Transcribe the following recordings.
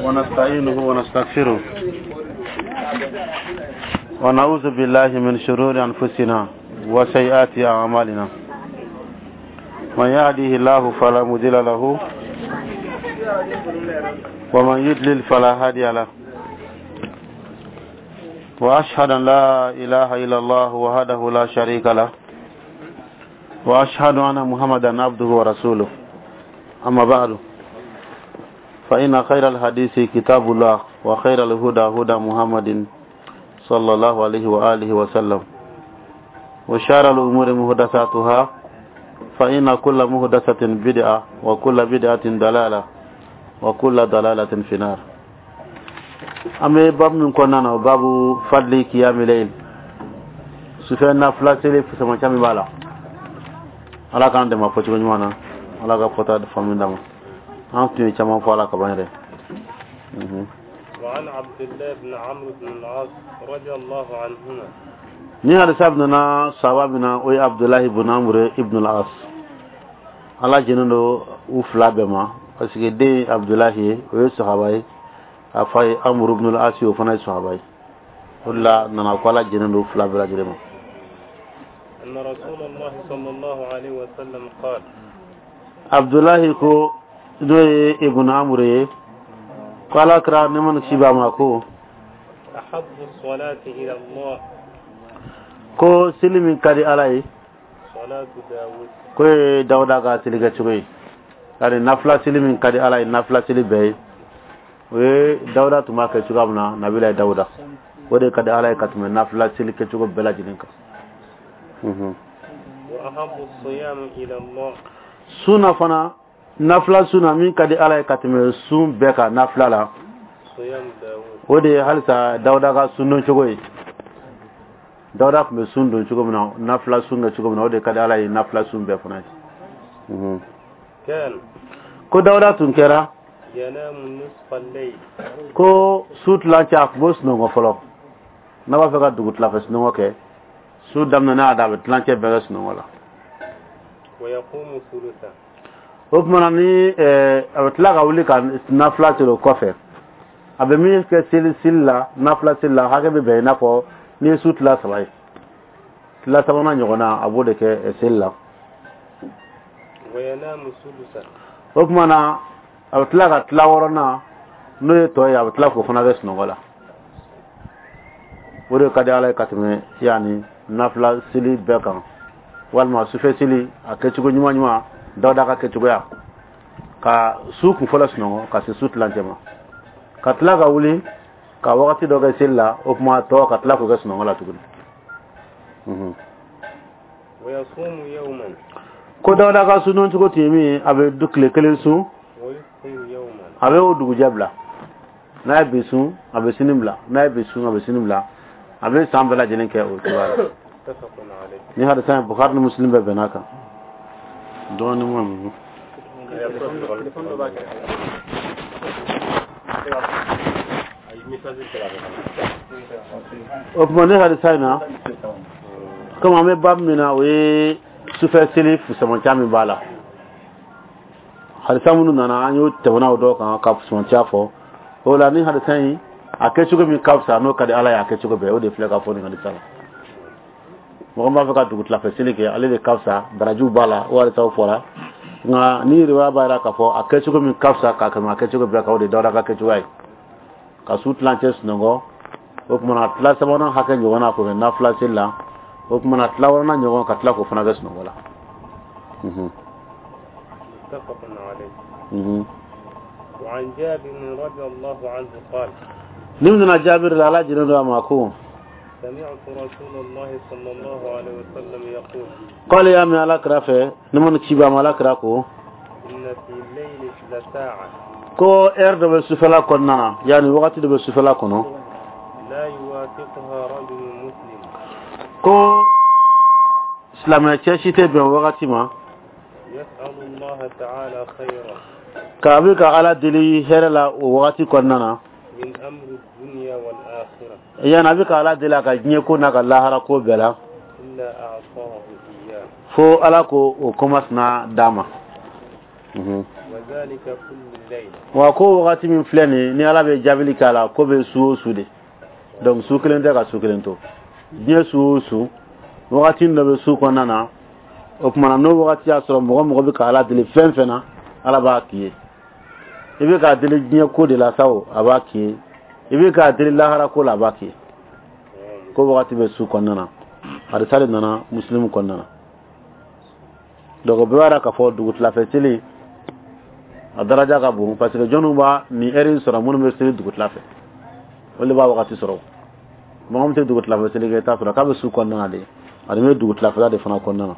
ونستعينه ونستغفره ونعوذ بالله من شرور أنفسنا وسيئات أعمالنا. من يهده الله فلا مضل له ومن يضلل فلا هادي له. وأشهد أن لا إله إلا الله وحده لا شريك له وأشهد أن محمدا عبده ورسوله. أما بعد، فإن خير الحديث كتاب الله وخير الهدى هدى محمد صلى الله عليه وآله وسلم، وشار الأمور محدثاتها، فإن كل محدثة بدعة وكل بدعة دلالة وكل دلالة في النار. أما باب من كنا باب فضل قيام الليل، sufɛ nafila seli fusamanciya min b'a la, Ala k'an dɛmɛ a fɔcogo ɲuman na, Ala ka fɔta faamu d'an ma. An tun ye caman fɔ a la kaban yɛrɛ. وعن عبد الله بن عمرو بن العاص رضي الله عنهما. Ni hadisa nana sahaba min na, o ye Abdulahi ibn Amr ibn al-As. Ala jɛnnen don u fila bɛɛ ma, parce que den ye Abdulahi ye, o ye sahaba ye, a fa ye Amr ibn al-As ye, o fana ye sahaba ye. O de la nana ko Ala jɛnnen don u fila bɛɛ lajɛlen ma. أن رسول الله صلى الله عليه وسلم قال: Abdulahi ko, n'o ye ibn Amr ye, ko Ala kira nɛɛma ni kisi b'a ma ko: أحب الصلاة إلى الله ko seli min ka di Ala ye صلاة داود. ko ye Dawuda ka seli kɛcogo ye. Yani nafila seli min ka di Ala ye, nafila seli bɛɛ ye, o ye Dawuda tun b'a kɛ cogoya min na, nabila ye Dawuda, o de ka di Ala ye ka tɛmɛ nafila seli kɛcogo bɛɛ lajɛlen kan. وأحب الصيام إلى الله Sunna fana, nafila sunna min ka di Ala ye ka tɛmɛ sun bɛɛ kan nafila la, صيام داود. o de ye halisa Dawuda ka sun don cogo ye. Dawuda tun bɛ sun don cogo min na, nafila sun kɛ cogo min na, o de ka di Ala ye nafila sun bɛɛ fana ye. كان Ko Dawuda tun kɛra ينام نصف الليل. ko su tilancɛ, a tun b'o sunɔgɔ fɔlɔ. N'a b'a fɛ ka dugu tilafɛ sunɔgɔ kɛ, su daminɛ n'a da, a bɛ tilancɛ bɛɛ kɛ sunɔgɔ la. ويقوم ثلثه. O tuma na ni a bɛ tila ka wuli ka nafila seli o kɔfɛ, a bɛ min kɛ seli seli la, nafila seli la, hakɛ bɛ bɛn i n'a fɔ n'i ye su tila saba ye, tila sabanan ɲɔgɔnna, a b'o de kɛ seli la. وينام سدسه. O tuma na a bɛ tila ka tila wɔɔrɔnan, n'o ye tɔ ye, a bɛ tila k'o fana kɛ sunɔgɔ la. O de ka di Ala ye ka tɛmɛ yanni nafila seli bɛɛ kan, walima sufɛ seli a kɛcogo ɲuman ɲuman, Dawuda ka kɛcogoya, ka su kun fɔlɔ sunɔgɔ ka se su tilancɛ ma, ka tila ka wuli ka wagati dɔ kɛ seli la, o tuma tɔ ka tila k'o kɛ sunɔgɔ la tuguni. ويصوم يوما Ko Dawuda ka sun cogo tun ye min ye, a bɛ du tile kelen sun, ويفطر يوما. a bɛ o dugujɛ bila. N'a ye bi sun, a bɛ sini bila. N'a ye bi sun, a bɛ sini bila. A bɛ san bɛɛ lajɛlen kɛ o cogoya la. متفق عليه. Ni hadisa in, Bukhari ni Muslim bɛɛ bɛn'a kan. Dɔɔnin ma ninnu. Téléphone dɔ b'a kɛrɛfɛ. O tuma ni hadisa in na, komi an bɛ babu min na, o ye sufɛ seli fusamanciya min b'a la, hadisa minnu nana, an y'o tɛmɛna o dɔw kan ka fusamanciya fɔ. O la ni hadisa in, a kɛcogo min ka fisa, n'o ka di Ala ye a kɛcogo bɛɛ, o de filɛ ka fɔ nin hadisa la. Mɔgɔ min b'a fɛ ka dugu tilafɛ seli kɛ, ale de ka fisa, barajiw b'a la, o hadisaw fɔra. Nka ni riwaya b'a jira k'a fɔ a kɛcogo min ka fisa ka tɛmɛ a kɛcogo bɛɛ kan, o de ye Dawuda ka kɛcogoya ye, ka su tilancɛ sunɔgɔ, o tuma na tila sabanan hakɛ ɲɔgɔnna k'o kɛ nafila seli la, o tuma na tila wɔɔrɔnan ɲɔgɔn ka tila k'o fana kɛ sunɔgɔ la. متفق عليه. وعن جابر رضي الله عنه قال: Ni nana Jaabiri la, Ala jɛnnen don a ma, ko: سمعت رسول الله صلى الله عليه وسلم يقول: K'ale y'a mɛn Ala kira fɛ, ne ma ni ci b'a ma, Ala kira ko: إن في الليل لساعة ko heure dɔ bɛ sufɛla kɔnɔna na, yanni wagati dɔ bɛ sufɛla kɔnɔ, لا يوافقها رجل مسلم ko silamɛ cɛ si tɛ bɛn wagati ma يسأل الله تعالى خيرا k'a bɛ ka Ala deli hɛrɛ la o wagati kɔnɔna na من أمر الدنيا والآخرة yani a bɛ ka Ala deli a ka diɲɛ ko n'a ka lahara ko bɛɛ la, إلا أعطاه إياه. fo Ala ko o komasina d'a ma. وزاد وذلك كل ليلة. Wa ko wagati min filɛ nin ni Ala bɛ jaabili k'a la, ko bɛ su o su de. Donc su kelen tɛ ka su kelen to. Diɲɛ su o su, wagati dɔ bɛ su kɔnɔna na. O tuma na, n'o wagati y'a sɔrɔ, mɔgɔ mɔgɔ bɛ ka Ala deli fɛn fɛn na, Ala b'a k'i ye. I bɛ k'a deli diɲɛ ko de la sa o, a b'a k'i ye. I bɛ k'a deli lahara ko la, a b'a k'i ye. Ko wagati bɛ su kɔnɔna na. Hadisa de nana Muslimu kɔnɔna na. Donc o bɛɛ b'a yira k'a fɔ dugutilafɛ seli a daraja ka bon, parce que jɔnniw b'a nin heure in sɔrɔ? Minnu bɛ seli dugutila fɛ, olu de b'a wagati sɔrɔ. Mɔgɔ min tɛ dugutilafɛ seli kɛ, i t'a sɔrɔ k'a bɛ su kɔnɔna na de, ani bɛ dugutilafɛla de fana kɔnɔna na.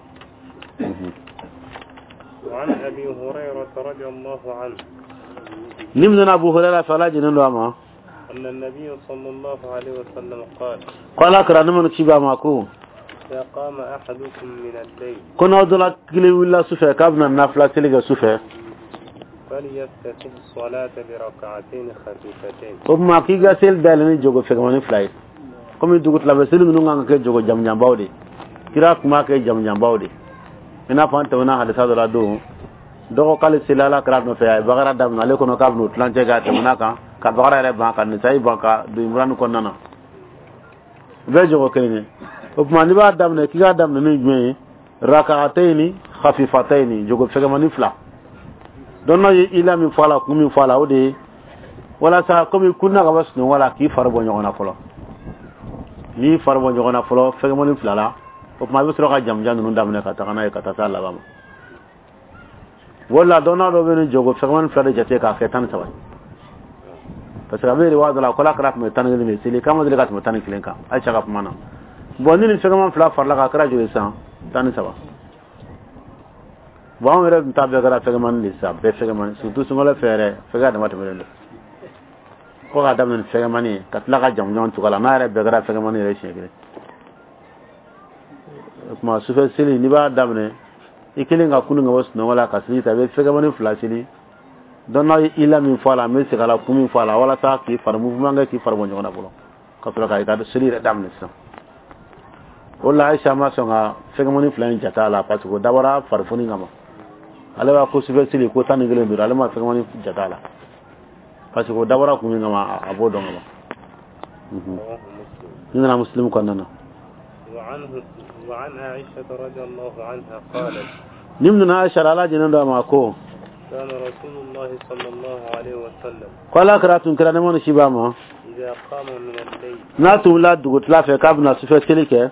وعن أبي هريرة رضي الله عنه Ni min nana Abu Hurairah fɛ, Ala jɛnnen don a ma, أن النبي صلى الله عليه وسلم قال: ko Ala kɛra ne mana ci b'a ma ko: إذا قام أحدكم من الليل ko n'aw dɔ la kelen wulila su fɛ k'a bɛna nafila seli kɛ su fɛ, فليفتتح الصلاة بركعتين خفيفتين. O tuma k'i ka seli dayɛlɛ ni jogo fɛgɛmani fila ye. Komi dugutilafɛ seli ninnu kan ka kɛ jogo jamujanbaw de, kira tun b'a kɛ jamujanbaw de. I n'a fɔ an tɛmɛna hadisa dɔ la don dɔgɔ k'ale seli Ala kira nɔfɛ, a ye Bakara daminɛ, ale kɔnɔ k'a bɛn'o tilancɛ kɛ, a tɛmɛna kan ka Bakara yɛrɛ ban, ka Nisayi ban, ka don Imurani kɔnɔna na. U bɛɛ jogo kelen ye. O tuma n'i b'a daminɛ, k'i k'a daminɛ ni jumɛn ye? Rakatayini khafifatayini, jogo fɛgɛmani fila. Dɔn ye ila min fɔ a la, kun min fɔ a la, o de ye walasa komi kunna ka bɔ sunɔgɔ la, k'i fari bɔ ɲɔgɔn na fɔlɔ. N'i fari bɔ ɲɔgɔn na fɔlɔ fɛgɛmani fila la, o tuma i bɛ sɔrɔ ka jamujan ninnu daminɛ ka taga n'a ye ka taa s'a laban ma. O la, dɔnna dɔ bɛ nin jogo fɛgɛmani fila de jate k'a kɛ 13 ye, parce que a bɛ riwaya dɔ la ko Ala kɛra tun bɛ 11 de seli, k'a ma deli ka tɛmɛ 11 kan, Ayisa ka kuma na. Bon, ni nin fɛgɛman fila farala kan, a kɛra joli sisan? 13. Bon, anw yɛrɛ tun ta bɛɛ kɛra fɛgɛmani de sisan, bɛɛ fɛgɛmani, surtout sunkalo fɛ yɛrɛ, fɛgɛ dama tɛmɛnen don. Ko k'a daminɛ ni fɛgɛmani ye ka tila ka jamujan tugu a la, n'a yɛrɛ bɛɛ kɛra fɛgɛmani yɛrɛ siɲɛ kelen. O tuma sufɛ seli, n'i b'a daminɛ, i kelen ka kunun ka bɔ sunɔgɔ la ka seli ta, i bɛ fɛgɛmani fila seli. Dɔn ye ila min fɔ a la, n bɛ segin a la, kun min fɔ a la, walasa k'i fari mouvement kɛ, k'i fari bɔ ɲɔgɔn na fɔlɔ, ka sɔrɔ ka i ka seli yɛrɛ daminɛ sisan. O la, Ayisa ma sɔn ka fɛgɛmani fila in jate a la, parce que o dabɔra farifoni kama. Ale b'a ko sufɛ seli ko 11 don, ale ma fɛgɛmani jate a la, parce que o dabɔra kun min kama, a b'o dɔn ka ban. رواه مسلم. Ni nana Muslim kɔnɔna na. وعنه وعن عائشة رضي الله عنها قالت: Ni min nana Ayisa, Ala jɛnnen don a ma, ko: كان رسول الله صلى الله عليه وسلم ko Ala kɛra tun kɛra nɛɛma ni si b'a ma, إذا قام من الليل n'a tun wulila dugutila fɛ k'a bɛna sufɛ seli kɛ,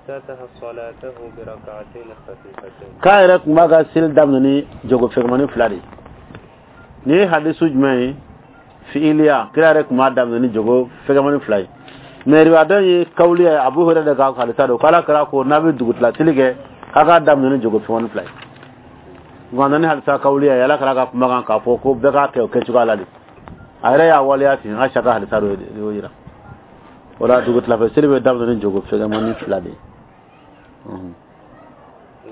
افتتح صلاته بركعتين خفيفتين. K'a yɛrɛ tun b'a ka seli daminɛ ni jogo fɛgɛmani fila de ye. Nin ye hadisu jumɛn ye? Fi'iliya, kira yɛrɛ tun b'a daminɛ ni jogo fɛgɛmani fila ye. Mais riwaya dɔ ye kawuliya ye, Abu Hurairah de ka hadisa don, k'Ala kɛra ko n'a bɛ dugutila seli kɛ, k'a k'a daminɛ ni jogo fɛgɛmani fila ye. Nka nani hadisa kawuliya ye, Ala kɛra ka kumakan k'a fɔ ko bɛɛ k'a kɛ o kɛcogoya la de, a yɛrɛ y'a waleya ten. Ayisa ka hadisa dɔ de y'o yira. O la, dugutilafɛ seli bɛ daminɛ ni jogo fɛgɛmani fila de ye.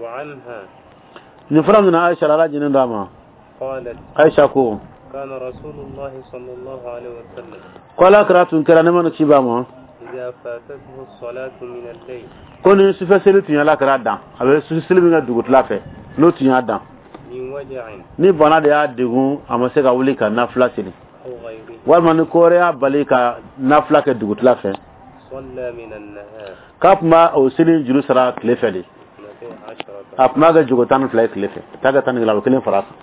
وعنها Nin fura min na, Ayisa, Ala jɛnnen don a ma, قالت: Ayisa ko: كان رسول الله صلى الله عليه وسلم ko Ala kɛra tun kɛra nɛɛma ni ci b'a ma, إذا فاتته الصلاة من الليل ko ni sufɛ seli tun ye Ala kɛra dan, a bɛ sufɛ seli min kɛ dugutila fɛ, n'o tun y'a dan, من وجع ni bana de y'a degun, a ma se ka wuli ka nafila seli, أو غيره، walima ni ko wɛrɛ y'a bali ka nafila kɛ dugutila fɛ, صلى من النهار k'a tun b'a o seli juru sara tile fɛ de. 12. A tun b'a kɛ jogo 12 ye tile fɛ, t'a kɛ 11, a bɛ kelen fara a kan.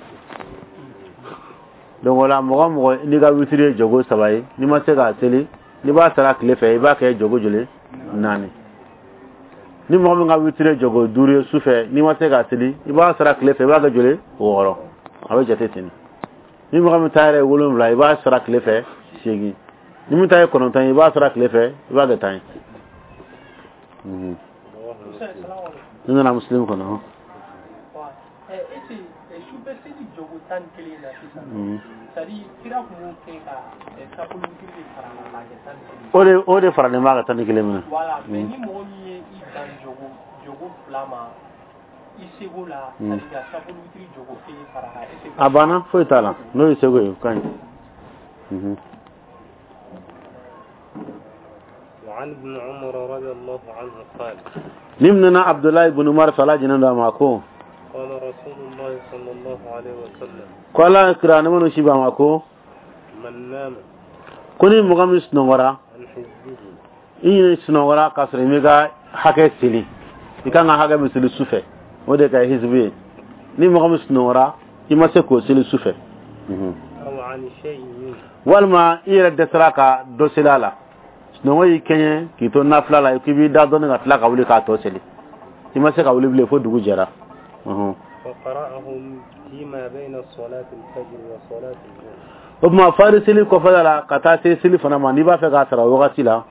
Donc o la, mɔgɔ o mɔgɔ n'i ka witiri ye jogo saba ye, n'i ma se k'a seli, n'i b'a sara tile fɛ, i b'a kɛ jogo joli? Naani. Ni mɔgɔ min ka witiri ye jogo duuru ye su fɛ, n'i ma se k'a seli, i b'a sara tile fɛ, i b'a kɛ joli? Wɔɔrɔ. A bɛ jate ten. Ni mɔgɔ min ta yɛrɛ ye wolonwula, i b'a sara tile fɛ seegin. Ni min ta ye kɔnɔntɔn ye, i b'a sara tile fɛ, i b'a kɛ 10 ye. رواه مسلم. Ni nana Muslim kɔnɔ hɔn. Ese sufɛ seli jogo 11 na sisan, c'est à dire kira tun b'o kɛ ka sapolo witiri de fara a kan k'a kɛ 11. O de faralen b'a ka 11 minɛ. Voilà, mais ni mɔgɔ min ye i dan jogo fila ma i seko la, c'est à dire ka sapolo witiri jogo kelen fara a kan, est ce que A banna, foyi t'a la. N'o ye seko ye, o ka ɲi. وعن ابن عمر رضي الله عنه قال: Ni minɛna Abudulayi ibn Umar fɛ, Ala jɛnnen don a ma, ko: قال رسول الله صلى الله عليه وسلم Ko Ala kira, nɛɛma ni kisi b'a ma, ko من نام ko ni mɔgɔ min sunɔgɔra عن حزبه i ɲini sunɔgɔra k'a sɔrɔ i m'i ka hakɛ seli, i kan ka hakɛ min seli su fɛ, o de ka hizbu ye. Ni mɔgɔ min sunɔgɔra, i ma se k'o seli su fɛ, أو عن شيء منه walima i yɛrɛ dɛsɛra ka dɔ seli a la, sunɔgɔ y'i kɛɲɛ k'i to nafila la, k'i b'i da dɔɔni ka tila ka wuli k'a tɔ seli, i ma se ka wuli bilen fo dugu jɛra. فقرأه فيما بين صلاة الفجر وصلاة الظهر O tuma, fari seli kɔfɛla la ka taa se seli fana ma, n'i b'a fɛ k'a sara o wagati la,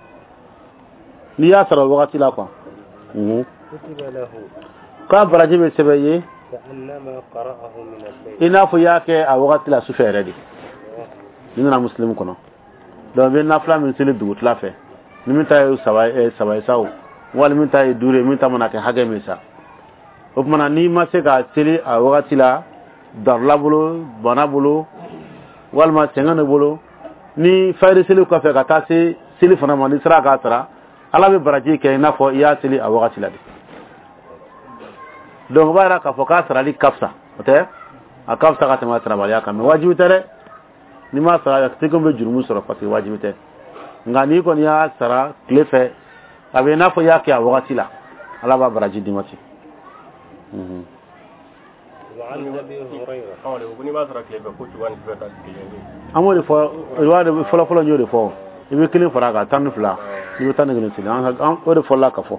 n'i y'a sara o wagati la quoi, كتب له k'a baraji bɛ sɛbɛn i ye كأنما قرأه من الليل i n'a fɔ i y'a kɛ a wagati la sufɛ yɛrɛ de. N'i nana Muslim kɔnɔ. Donc i bɛ nafila min seli dugutila fɛ, ni min ta ye saba ye, saba ye sa o, wali min ta ye duuru ye, min ta mana kɛ hakɛ min sa, o tuma na, n'i ma se ka seli a wagati la, darula bolo, bana bolo, walima sɛgɛn de bolo, ni fayiri seli kɔfɛ ka taa se seli fana ma, n'i sera k'a sara, Ala bɛ baraji kɛ i n'a fɔ i y'a seli a wagati la de. Donc o b'a yira k'a fɔ k'a sarali ka fisa, o tɛ, a ka fisa ka tɛmɛ a sarabaliya kan, mais wajibi tɛ dɛ. N'i m'a sara, a tɛ komi bɛ jurumu sɔrɔ, parce que wajibi tɛ. Nka n'i kɔni y'a sara tile fɛ, a bɛ i n'a fɔ i y'a kɛ a wagati la, Ala b'a baraji d'i ma ten. وعن أبي هريرة Ko n'i b'a sɔrɔ tile fɛ, ko cogoya ni fɛ ka kelen bɛ. An b'o de fɔ, i b'a de fɔlɔ fɔlɔ, n y'o de fɔ, i bɛ kelen fara a kan, 12, i bɛ 11 seli. An o de fɔlɔla ka fɔ.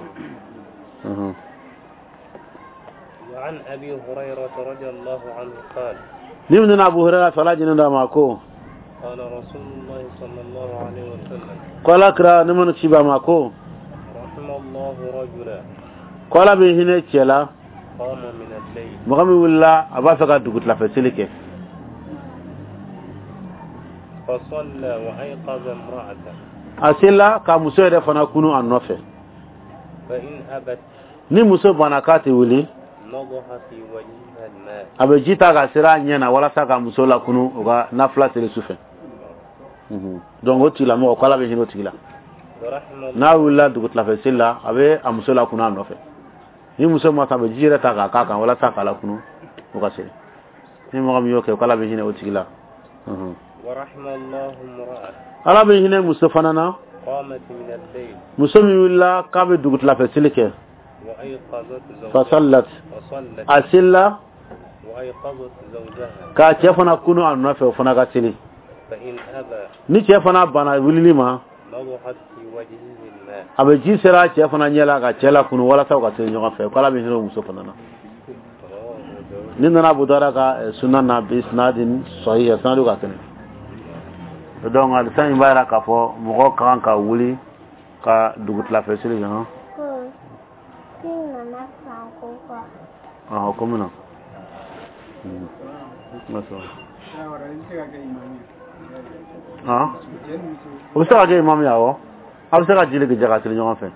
وعن أبي هريرة رضي الله عنه قال Ni min nana Abu Hurairah fɛ, Ala jɛnɛ d'a ma, ko قال رسول الله صلى الله عليه وسلم ko Ala kira, nɛɛma ni kisi b'a ma, ko رحم الله رجلا ko Ala bɛ hinɛ cɛ la قام من الليل mɔgɔ min wulila a b'a fɛ ka dugutilafɛ seli kɛ فصلى وأيقظ امرأته a selila ka muso yɛrɛ fana kunu a nɔfɛ فإن أبت ni muso banna k'a tɛ wuli نضح في وجهها الماء a bɛ ji ta ka seri a ɲɛ na walasa ka muso lakunu o ka nafila seli su fɛ. Donc o tigilamɔgɔ, ko Ala bɛ hinɛ o tigi la. ورحم N'a wulila dugutilafɛ seli la, a bɛ a muso lakunu a nɔfɛ. Ni muso ma sɔn, a bɛ ji yɛrɛ ta k'a k'a kan walasa k'a lakunu o ka seli. Ni mɔgɔ min y'o kɛ, ko Ala bɛ hinɛ o tigi la. ورحم الله امرأة Ala bɛ hinɛ muso fana na قامت من الليل muso min wulila k'a bɛ dugutilafɛ seli kɛ وأيقظت زوجها فصلت وصلت a selila وأيقظت زوجها k'a cɛ fana kunu a nɔfɛ, o fana ka seli. فإن أبى Ni cɛ fana banna wulili ma نضحت في وجهه الماء a bɛ ji sera cɛ fana ɲɛ la ka cɛ la kunu walasa u ka seli ɲɔgɔn fɛ, ko Ala bɛ hinɛ o muso fana na. رواه أبو داود Ni nana Abu Dawuda ka sunan na بإسناد صحيح, sanadu ka kɛnɛ. Donc hadisa in b'a yira k'a fɔ mɔgɔ ka kan ka wuli ka dugutilafɛ seli kɛ hɔn. Ko k'i nana san ko kɔ. Ɔhɔn, ko min na. O bɛ se ka kɛ imam ye, awɔ, a bɛ se ka jeli jɛ ka seli ɲɔgɔn fɛ,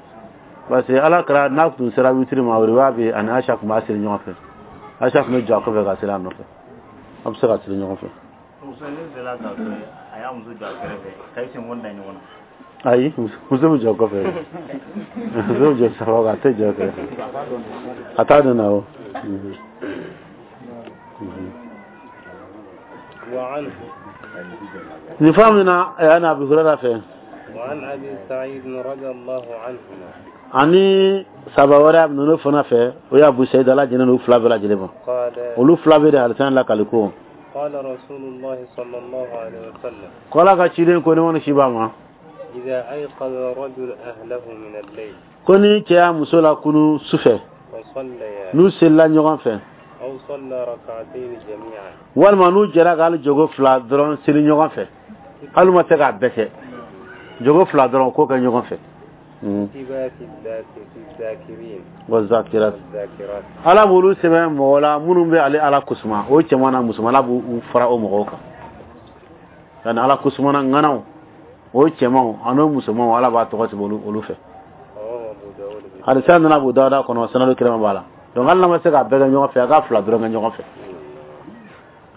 parce que Ala kɛra n'a tun sera witiri ma, o riwaya bɛ ani Aisha tun b'a seli ɲɔgɔn fɛ. Aisha tun bɛ jɔ a kɔfɛ ka seli a nɔfɛ. A bɛ se ka seli ɲɔgɔn fɛ. Muso ne delila k'a to a y'a muso jɔ a kɛrɛfɛ ka i sen da ɲɔgɔn na. Ayi, muso bɛ jɔ kɔfɛ, muso bɛ jɔ saba kan, a tɛ jɔ kɛrɛfɛ, a t'a dɔn na o. وعنه Nin fa min na, a y'a na Abu Hurairah fɛ وعن أبي سعيد رضي الله عنهما ani saba wɛrɛ ninnu fana fɛ, o ye Abu Sa'id, Ala jɛnɛ n'u fila bɛɛ lajɛlen ma. قال Olu fila bɛ de hadisa in lakali ko قال رسول الله صلى الله عليه وسلم ko Ala ka ciden ko, nɛɛma ni kisi b'a ma, إذا أيقظ الرجل أهله من الليل ko ni cɛ y'a muso la kunu su fɛ فصليا n'u selila ɲɔgɔn fɛ أو صلى ركعتين جميعا walima n'u jɛra ka hali jogo fila dɔrɔn seli ɲɔgɔn fɛ, hali ma se k'a bɛɛ kɛ, jogo fila dɔrɔn k'o kɛ ɲɔgɔn fɛ. كتب في الذاكرين والذاكرات والذاكرات Ala b'olu sɛbɛn mɔgɔ la minnu bɛ ale Ala kusuma, o cɛman na musoman, Ala b'u fara o mɔgɔw kan. Yani Ala kusumana ŋanaw, o cɛmanw ani o musomanw, Ala b'a tɔgɔ sɛbɛn olu fɛ. رواه أبو داود Hadisa nana Abu Dawuda kɔnɔ, sanadu kɛnɛma b'a la. Donc hali n'a ma se k'a bɛɛ kɛ ɲɔgɔn fɛ, a ka fila dɔrɔn kɛ ɲɔgɔn fɛ.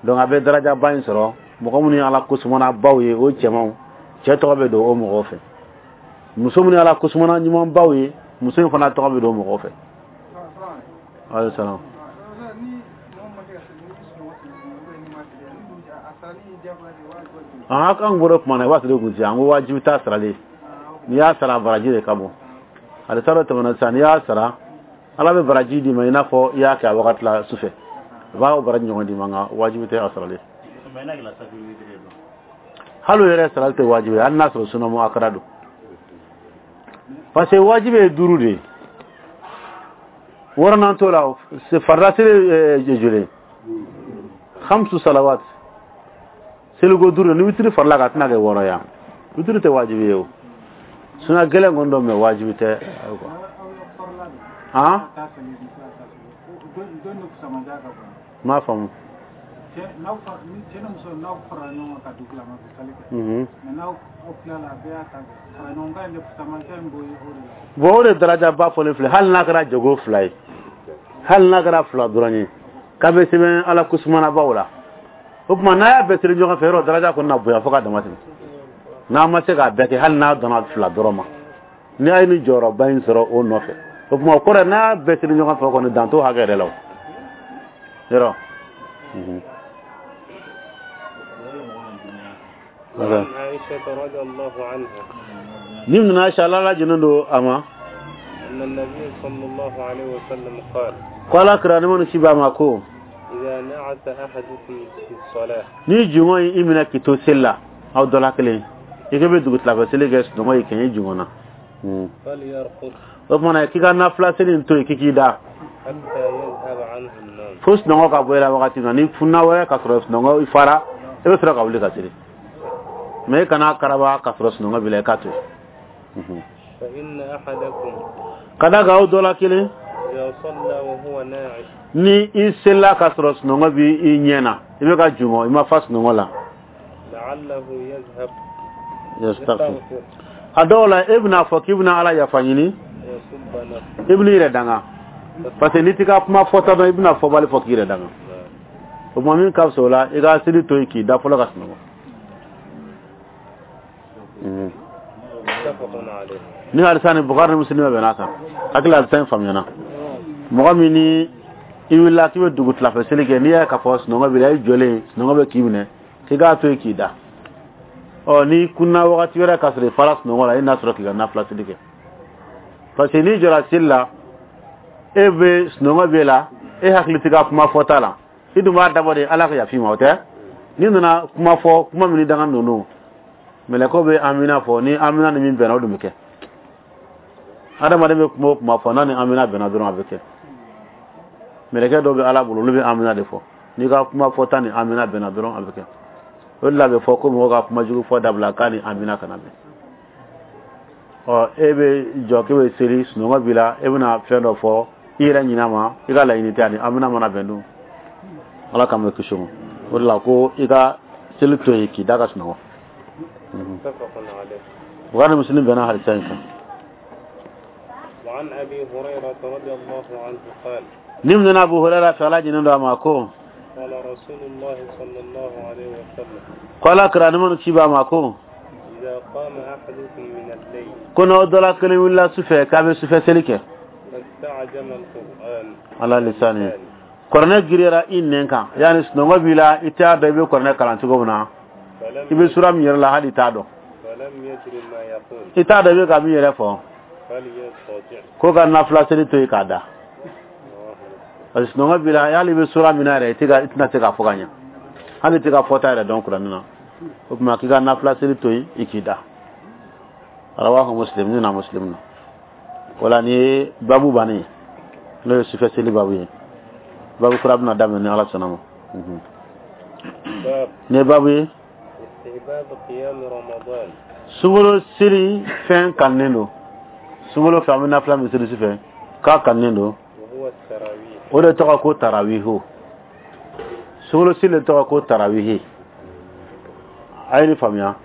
Donc a bɛ darajaba in sɔrɔ. Mɔgɔ minnu ye Ala kusumana baw ye, o cɛmanw, cɛ tɔgɔ bɛ don o mɔgɔw fɛ. Muso minnu ye Ala kusumana ɲumanbaw ye, muso in fana tɔgɔ bɛ don o mɔgɔw fɛ. Alayhi salam. Ni An kan bɔra kuma na, i b'a sɔrɔ kun an ko wajibi t'a sarali. N'i y'a sara, baraji de ka bon. Hadisa dɔ tɛmɛna sisan, n'i y'a sara, Ala bɛ baraji d'i ma i n'a fɔ i y'a kɛ a wagati la su fɛ, a b'a baraji ɲɔgɔn d'i ma, nka wajibi tɛ a sarali. Hali o yɛrɛ sarali tɛ wajibi ye, hali n'a sɔrɔ sunna muakkada don, parce que wajibi ye duuru de ye, wɔɔrɔnan t'o la. Farida seli ye joli? Khamsu salawat, seliko duuru. Ni witiri farila kan, a tɛna kɛ wɔɔrɔ ye. Witiri tɛ wajibi ye o, suna gɛlɛn kɔni dɔ, mais wajibi tɛ quoi. Han, n m'a faamu. Cɛ ni muso, n'aw farala ɲɔgɔn kan ka dugukilama kɛ sali kɛ, mais n'aw tilala, a bɛɛ y'a ta kɛ, fara ɲɔgɔn kan in de fusamancɛ in b'o ye o de la. Bon, o de daraja ba fɔlen filɛ. Hali n'a kɛra jago fila ye, hali n'a kɛra fila dɔrɔn ye, k'a bɛ sɛbɛn Ala kusumanabaw la. O tuma n'a y'a bɛɛ siri ɲɔgɔn fɛ, yɔrɔ daraja kɔni na bonya fo ka dama tɛmɛ. N'a ma se k'a bɛɛ kɛ, hali n'a dɔnna fila dɔrɔn ma, ni a ye nin jɔyɔrɔba in sɔrɔ o nɔfɛ, o tuma o kɔrɔ ye n'a y'a bɛɛ siri ɲɔgɔn fɛ, o kɔni dan t'o hakɛ yɛrɛ la o yɔrɔ. وعن عائشة رضي الله عنها Ni nana Aisha, Ala lajɛlen don a ma, أن النبي صلى الله عليه وسلم قال ko Ala kira ni minnu ci b'a ma ko إذا نعس أحدكم في الصلاة ni jungɔ ye i minɛ k'i to seli la, aw dɔ la kelen i ko bɛ dugutilafɛ seli kɛ, sunɔgɔ y'i kɛ i jungɔ na, فليرقد o tuma na k'i ka nafila seli in to yen, k'i k'i da حتى يذهب عنه النوم fo sunɔgɔ ka bɔ i la wagati min na. Ni funna wɛrɛ ka sɔrɔ sunɔgɔ i fara, i bɛ sɔrɔ ka wuli ka seli, mais i kana karaba ka sɔrɔ sunɔgɔ b'i la, i k'a to yen. فإن أحدكم Ka da kan aw dɔ la kelen إذا صلى وهو ناعس ni i selila ka sɔrɔ sunɔgɔ b'i i ɲɛ na, i bɛ ka jungɔ, i ma fa sunɔgɔ la, لعله يذهب yastaghfir يستغفر a dɔw la, e bɛna fɔ k'i bɛna Ala yafa ɲini, ويسب نفسه i bɛn'i yɛrɛ danga, parce que n'i t'i ka kuma fɔta dɔn, i bɛna fɔbali fɔ k'i yɛrɛ danga. O tuma min ka fisa o la, i ka seli to yen k'i da fɔlɔ ka sunɔgɔ. متفق عليه Ni hadisa ni Bukhari ni Muslim bɛ bɛn'a kan. Hakili hadisa in faamuyana. Mɔgɔ min ni i wulila k'i bɛ dugu tilafɛ seli kɛ, n'i y'a ye k'a fɔ sunɔgɔ b'i la, i jɔlen sunɔgɔ bɛ k'i minɛ, k'i k'a to yen k'i da. Ɔ, n'i kunna wagati wɛrɛ k'a sɔrɔ i fara sunɔgɔ la, i n'a sɔrɔ k'i ka nafila seli kɛ, parce que n'i jɔra seli la, e bɛ sunɔgɔ b'e la, e hakili t'i ka kuma fɔta la, i dun b'a dabɔ de Ala ka yafa i ma, o tɛ. N'i nana kuma fɔ, kuma min ni danga ninnu, mɛlɛkɛw bɛ amina fɔ, ni amina ni min bɛnna, o dun bɛ kɛ. Adamaden bɛ kuma o kuma fɔ, n'a ni amina bɛnna dɔrɔn, a bɛ kɛ. Mɛlɛkɛ dɔw bɛ Ala bolo, olu bɛ amina de fɔ. N'i ka kuma fɔta ni amina bɛnna dɔrɔn, a bɛ kɛ. O de la a bɛ fɔ ko mɔgɔ ka kuma jugu fɔ dabila, k'a ni amina kana bɛn. Ɔ, e bɛ jɔ k'e bɛ seli, sunɔgɔ b'i la, e bɛna fɛn dɔ fɔ i yɛrɛ ɲinɛ ma, i ka laɲini tɛ, ani amina mana bɛn dun, Ala k'an bɛ kisi o ma. O de la ko i ka seli to yen k'i da ka sunɔgɔ. متفق عليه Bukhari ni Muslim bɛnna hadisa in kan. وعن أبي هريرة رضي الله عنه قال Ni minɛna Abu Hurairah fɛ, Ala jɛnnen don a ma, ko قال رسول الله صلى الله عليه وسلم ko Ala kira ni minnu ci b'a ma ko إذا قام أحدكم من الليل ko n'aw dɔ la kelen wulila sufɛ k'a bɛ sufɛ seli kɛ, فاستعجم القرآن ala lisani kuranɛ giriyara i nɛn kan, yaani sunɔgɔ b'i la, i t'a dɔn i bɛ kuranɛ kalan cogo min na, فلم i bɛ sura min yɛrɛ la, hali i t'a dɔn, فلم يدر ما يقول i t'a dɔn i bɛ ka min yɛrɛ fɔ, فليضطجع ko ka nafila seli to yen k'a da, رواه مسلم parce que sunɔgɔ b'i la, hali i bɛ sura min na yɛrɛ, i tɛ ka i tɛna se k'a fɔ ka ɲɛ, hali i tɛ ka fɔta yɛrɛ dɔn kuranɛ na. O tuma k'i ka nafila seli to yen, i k'i da. Rawahu Muslim. Ni na Muslim na o la, nin ye babu bannen ye, n'o ye sufɛ seli babu ye. Babu kura bɛna daminɛ ni Ala sɔnna ma. باب Nin ye babu ye استحباب قيام رمضان sunkalo seli fɛn kanunen don. Sunkalo fɛ, an bɛ nafila min seli sufɛ, k'a kanunen don. وهو التراويح O de tɔgɔ ko tarawihu. Sunkalo seli de tɔgɔ ko tarawihi. A ye nin faamuya,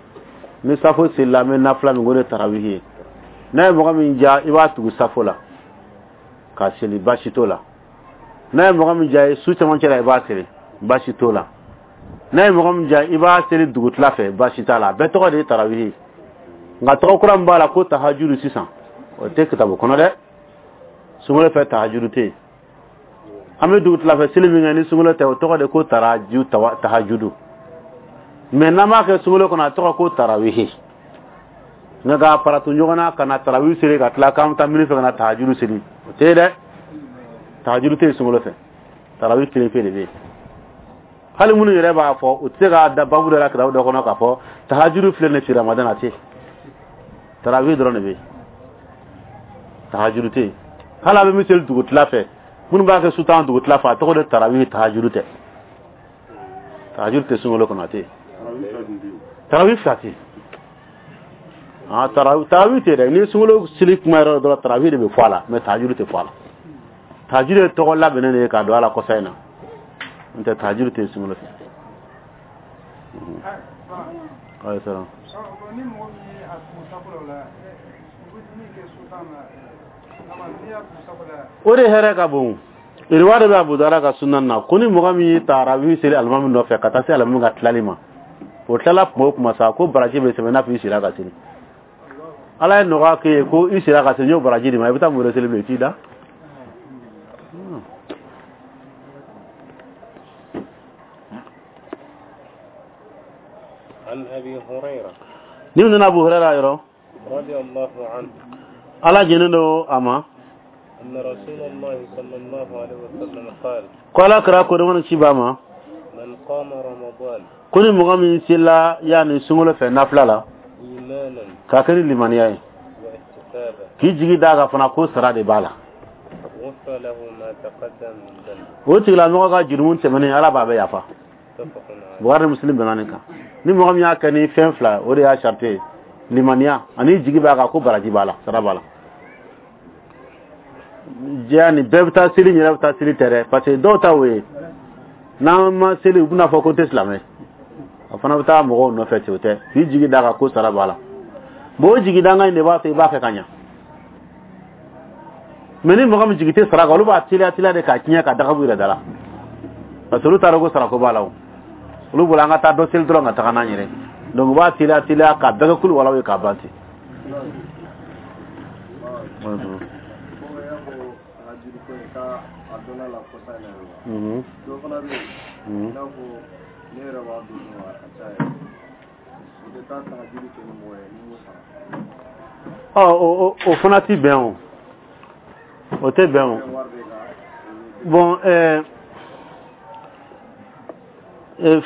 ni safo selila, an bɛ nafila min k'o de tarawihi ye. N'a ye mɔgɔ min diya, i b'a tugu safo la ka seli, baasi t'o la. N'a ye mɔgɔ min diya ye, su cɛmancɛ la, i b'a seli, baasi t'o la. N'a ye mɔgɔ min diya, i b'a seli dugutila fɛ, baasi t'a la. A bɛɛ tɔgɔ de ye tarawihi ye. Nka tɔgɔ kura min b'a la ko tahajuru sisan, o tɛ kitabu kɔnɔ dɛ. Sunkalo fɛ, tahajuru tɛ yen. An bɛ dugutila fɛ seli min kɛ ni sunkalo tɛ, o tɔgɔ de ko taraju tahajudu. Mais n'an b'a kɛ sunkalo kɔnɔ, a tɔgɔ ko tarawihi. Nka k'a faratu ɲɔgɔn na ka na tarawihi seli ka tila k'an bɛ taa mini fɛ ka na tahajuru seli, o tɛ yen dɛ. Tahajuru tɛ yen sunkalo fɛ, tarawihi kelen pe de bɛ yen. Hali minnu yɛrɛ b'a fɔ, u tɛ se k'a da babu dɔ la kitabu dɔ kɔnɔ k'a fɔ tahajuru filɛ nin fi Ramadan, a tɛ yen. Tarawihi dɔrɔn de bɛ yen, tahajuru tɛ yen. Hali a bɛ min seli dugutila fɛ, minnu b'a kɛ su tan dugutila fɛ, a tɔgɔ de tarawihi, tahajuru tɛ. Tahajuru tɛ sunkalo kɔnɔ, a tɛ yen. Tarawihi fila tɛ yen. Ah, tarawih tɛ dɛ. Ni sunkalo seli kuma yɛrɛ dɔrɔn, tarawih de bɛ fɔ a la, mais tahajuru tɛ fɔ a la. Tahajuru ye tɔgɔ labɛnnen de ye k'a don a la kɔsa in na, n'o tɛ tahajuru tɛ sunkalo fɛ. Ayi salam. Ni mɔgɔ min ye a tugu sako la, u bɛ min kɛ su tan na, n'i y'a tugu sako la. O de hɛrɛ ka bon. Riwaya de bɛ Abu Dawuda ka sunan na ko ni mɔgɔ min ye tarawih seli alimami nɔfɛ ka taa se alimami ka tilali ma, o tilala kuma o kuma sa, ko baraji bɛ sɛbɛn n'a fɔ i sera ka seli. Ala ye nɔgɔya k'e ye ko i sera ka seli, n y'o baraji di ma, i bɛ taa mun wɛrɛ seli bilen, i t'i da. عن أبي هريرة Ni nana Abu Hurairah yɔrɔ, رضي الله عنه Ala jɛnnen don a ma, أن رسول الله صلى الله عليه وسلم قال ko Ala kɛra ko ni ci b'a ma, من قام رمضان ko ni mɔgɔ min sela yanni sunkalo fɛ nafila la إيمانا k'a kɛ ni limaniya ye, واحتسابا k'i jigi d'a kan fana ko sara de b'a la, غفر له ما تقدم من ذنبه. O tigilamɔgɔ ka jurumu tɛmɛnen, Ala b'a bɛɛ yafa. متفق عليه. Bukhari ni Muslim bɛnna nin kan. Ni mɔgɔ min y'a kɛ ni fɛn fila, o de y'a sarite ye, limaniya ani jigi b'a kan ko baraji b'a la, sara b'a la. Jɛya nin bɛɛ bɛ taa seli, yɛrɛ bɛ taa seli tɛ dɛ, parce que dɔw ta o ye n'an ma seli, u bɛna fɔ ko n tɛ silamɛ, a fana bɛ taa mɔgɔw nɔfɛ ten. O tɛ, k'i jigi d'a kan ko sara b'a la. Bon, o jigi dangan in de b'a to i b'a kɛ ka ɲa. Mais ni mɔgɔ min jigi tɛ sara kan, olu b'a teliya teliya de k'a tiɲɛ ka daga b'u yɛrɛ da la, parce que olu t'a dɔn ko sarako b'a la. O olu bolo an ka taa dɔ seli dɔrɔn ka taga n'an yɛrɛ, donc u b'a teliya teliya ka bɛɛ kɛ kulu walaw ye k'a ban ten. Dɔ fana bɛ yen, i n'a fɔ ne yɛrɛ b'a dɔn a ka ca yɛrɛ, u tɛ taa tahajuru kɛ ni mɔgɔ ye ni m'o sara. Ɔ, o fana ti bɛn, o o tɛ bɛn o. Bon,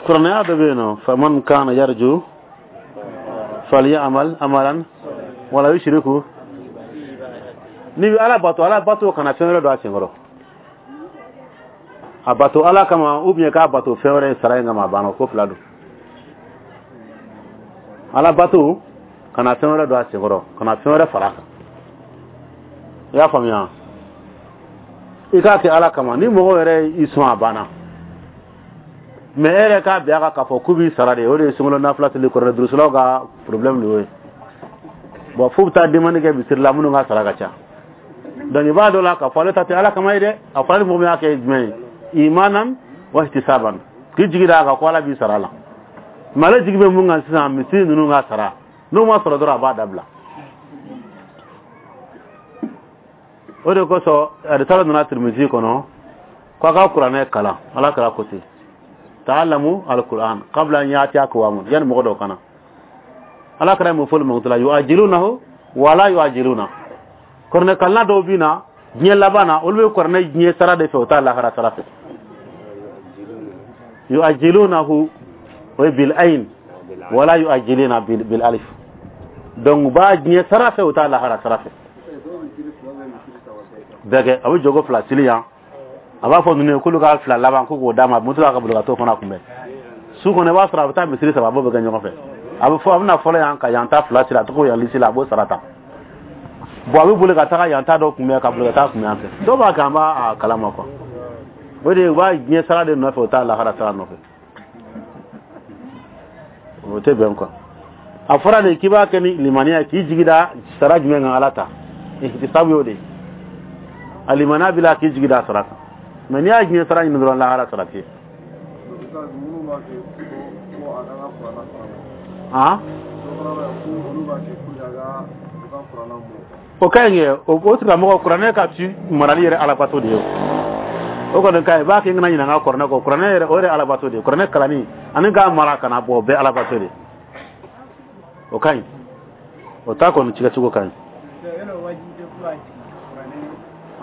kuranɛya dɔ bɛ yen nɔ, faman kana yarju falyamal amalan wala yushriku. N'i bɛ Ala bato, Ala bato kana fɛn wɛrɛ don a senkɔrɔ. A bato Ala kama ou bien k'a bato fɛn wɛrɛ sara in kama, a banna, ko fila don. Ala bato kana fɛn wɛrɛ don a senkɔrɔ, kana fɛn wɛrɛ fara a kan. I y'a faamuya? I k'a kɛ Ala kama. Ni mɔgɔ yɛrɛ y'i sɔn, a banna. Mais e yɛrɛ k'a bin a kan k'a fɔ k'u b'i sara de, o de ye sunkalo nafila seli kɔrɔ durusulaw ka problème de y'o ye. Bon, f'u bɛ taa demande kɛ misiri la minnu ka sara ka ca. Donc i b'a dɔn la k'a fɔ ale ta tɛ Ala kama ye dɛ. A fɔra ni mɔgɔ min y'a kɛ jumɛn ye, imanan wa ihtisaban, k'i jigi d'a kan ko Ala b'i sara la. Mais ale jigi bɛ mun kan sisan, misiri ninnu ka sara, n'o ma sɔrɔ dɔrɔn, a b'a dabila. O de kosɔn arisala nana Tirmisi kɔnɔ ko a ka kuranɛ kalan. Ala kɛra ko ten, ta'allamu alquran qabla an ya'tiya aqwamun, yani mɔgɔ dɔw kana. Ala kɛra mun fɔli mɔgɔ la, yu'ajilunahu wala yu'ajiluna. Kuranɛ kalanna dɔw bɛ na diɲɛ laban na, olu bɛ kuranɛ diɲɛ sara de fɛ, o t'a lahara sara fɛ. Yu'ajilunahu o ye bil ayn, wala yu'ajiluna bil alif. Donc u b'a diɲɛ sara fɛ, o t'a lahara sara fɛ. Bɛɛ kɛ a bɛ jogo fila seli yan, a b'a fɔ ninnu ye k'olu ka fila laban ko k'o d'a ma, moto ka boli ka t'o fana kunbɛn su kɔnɔ. I b'a sɔrɔ a bɛ taa misiri saba, a b'o bɛɛ kɛ ɲɔgɔn fɛ. A bɛ fɔ a bɛna fɔlɔ yan ka yan ta fila siri, a tɔgɔ yan lisi la, a b'o sara ta. Bon, a bɛ boli ka taga yan ta dɔ kunbɛn, ka boli ka taa kunbɛn yan fɛ. Dɔw b'a kɛ, an b'a kalama quoi. O de u b'a diɲɛ sara de nɔfɛ, o t'a lahara sara nɔfɛ, o tɛ bɛn quoi. A fɔra de k'i b'a kɛ ni limaniya ye, k'i jigi da sara jumɛn kan, Ala ta ihtisabu y'o de ye. A limaniya b'i la k'i jigi da sara kan, mais n'i y'a diɲɛ sara ɲini dɔrɔn, lahara sara tɛ yen. O ka ɲi kɛ o tigilamɔgɔ kuranɛ ka ci marali yɛrɛ alabato de ye. O kɔni ka ɲi, i b'a kɛ n kana ɲinɛ n ka kuranɛ kɔ. Kuranɛ yɛrɛ, o yɛrɛ alabato de ye. Kuranɛ kalanni ani k'a mara kana bɔ, o bɛɛ alabato de. O ka ɲi, o ta kɔni cikɛcogo ka ɲi.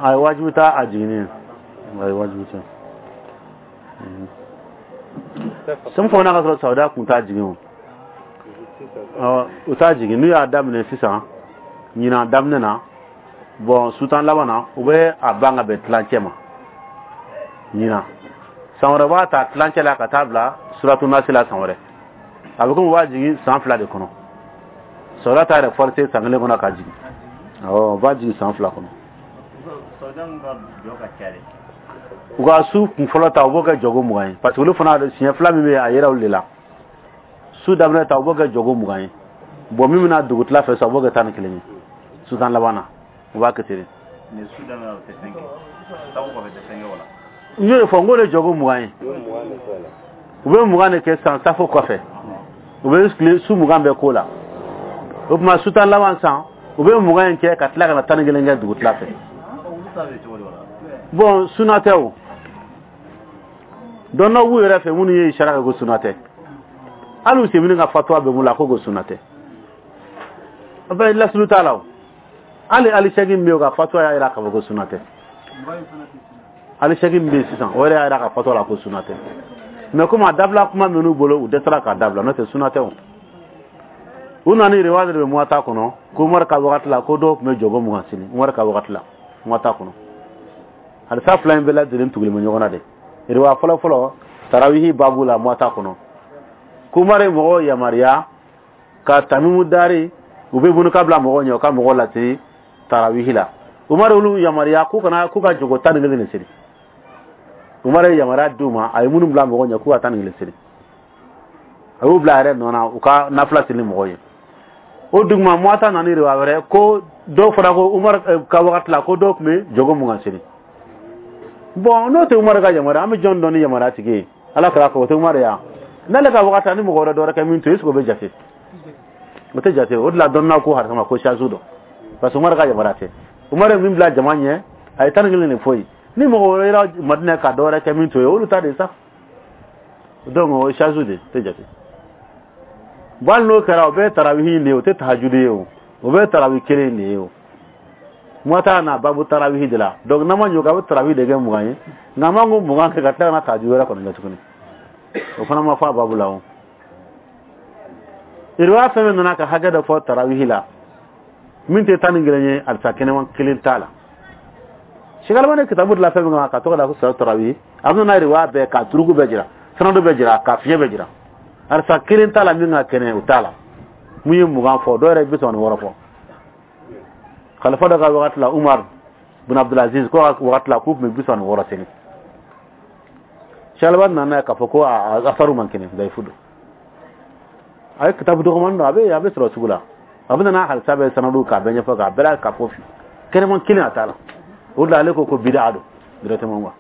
A ye wajibi t'a a jiginni ye, a ye wajibi tɛ. Sɛmu fana ka sɔrɔ Saudiya kun t'a jigin o. U t'a jigin n'u y'a daminɛ sisan ɲinan daminɛ na. Bon, sutan laban na, u bɛ a ban ka bɛn tilancɛ ma ɲinan. San wɛrɛ b'a ta tilancɛ la ka taa bila suratu nasi la san wɛrɛ. A bɛ komi u b'a jigin san 2 de kɔnɔ. Saudiya t'a yɛrɛ forcer san 1 kɔnɔ ka jigin. Awɔ, u b'a jigin san 2 kɔnɔ. U ka su kun fɔlɔ ta, u b'o kɛ jɔgo 20 ye, parce que olu fana siɲɛ 2 min bɛ yen, a yera olu de la. Su daminɛ ta, u b'o kɛ jɔgo 20 ye. Bon, min bɛna dugutila fɛ sa, u b'o kɛ 11 ye. Su tan laban na, u b'a kɛ ten de. N y'o de fɔ, n k'o de jɔgo 20 ye. U bɛ 20 de kɛ san safo kɔfɛ, u bɛ tile su 20 bɛɛ k'o la. O tuma su tan laban san, u bɛ 20 in kɛ ka tila ka na 11 kɛ dugutila fɛ. Bon, suna tɛ o. Dɔnnaw b'u yɛrɛ fɛ minnu ye isara kɛ ko suna tɛ. Hali u semini ka fatuwa bɛ mun la ko suna tɛ. A bɛ lasulu t'a la o. Hali alisɛki min bɛ yen, o ka fatuwa y'a jira k'a fɔ ko suna tɛ. Alisɛki min bɛ yen sisan, o yɛrɛ y'a jira ka fatuwa la ko suna tɛ. Mais komi a dabila kuma minnu bolo, u dɛsɛra k'a dabila, n'o tɛ suna tɛ o. U nana ni riwaya de bɛ Muwata kɔnɔ ko Umaru ka wagati la, ko dɔw tun bɛ jɔgo 20 seli Umaru ka wagati la Muwata kɔnɔ. Hadisa 2 in bɛɛ lajɛlen tugulen bɛ ɲɔgɔn na de. Riwaya fɔlɔ fɔlɔ tarawihi babu la Muwata kɔnɔ, ko Umaru ye mɔgɔw yamaruya ka tamimu dari u bɛ bunu ka bila mɔgɔw ɲɛ, u ka mɔgɔw lase tarawihi la. Umaru olu yamaruya k'u kana k'u ka jɔgo 11 de seli. Umaru ye yamaruya d'u ma, a ye minnu bila mɔgɔw ɲɛ k'u ka 11 seli, a y'u bila a yɛrɛ nɔ na u ka nafila seli mɔgɔw ye. O duguma Muwata nana ni riwaya wɛrɛ ko dɔw fɔra ko Umaru ka wagati la ko dɔw tun bɛ jɔgo 20 seli. Bon, n'o tɛ Umaru ka yamaruya, an bɛ jɔn dɔn ni yamaruya tigi ye? Ala kɛra ko o tɛ Umaru ya. N'ale ka wagati la ni mɔgɔ wɛrɛ dɔ wɛrɛ kɛ min to yen, est-ce que o bɛ jate? O tɛ jate. O de la dɔnniyaw ko hadisa ma ko shazu dɔ, parce que Umaru ka yamaruya tɛ. Umaru ye min bila jama ɲɛ, a ye 11 de fɔ yen. Ni mɔgɔ wɛrɛ yera Madinɛ ka dɔ wɛrɛ kɛ min to yen, olu ta de sa. Donc o ye shazu de, tɛ jate. Bon, hali n'o kɛra, o bɛɛ ye tarawihi de ye, o tɛ tahajudi ye o. O bɛɛ ye tarawi kelen de ye o. Muwata na babu tarawihi de la. Donc n'an ma ɲɛ o kan, a bɛ tarawi de kɛ 20 ye. Nka an b'an ko 20 kɛ ka tila ka na tahajudi wɛrɛ kɔni kɛ tuguni. O fana ma fɔ a babu la o. Riwaya fɛn fɛn nana ka hakɛ dɔ fɔ tarawihi la, min tɛ 11 ye, alisa kɛnɛman kelen t'a la. Sikalama kitabu de la fɛn min kan ka tɔgɔ da ko salatu tarawihi, a bɛ na riwaya bɛɛ ka turuku bɛɛ jira, sanadu bɛɛ jira, ka fiɲɛ bɛɛ jira. Alisa kelen t'a la min ka kɛnɛ, o t'a la. Mun ye 20 fɔ, dɔw yɛrɛ ye 36 fɔ. Khalifa dɔ ka wagati la, Umar bin Abdulaziz ko ka wagati la, k'u tun bɛ 36 seli. Shalaba nana k'a fɔ ko a asaru man kɛnɛ, dayifu don. A ye kitabu dɔgɔmani dɔn, a bɛ sɔrɔ sugu la. A bɛ nana halisa bɛ sanadu k'a bɛɛ ɲɛfɔ k'a bɛɛ la k'a fɔ kɛnɛman kelen a t'a la. O de la ale ko ko bida don directement quoi.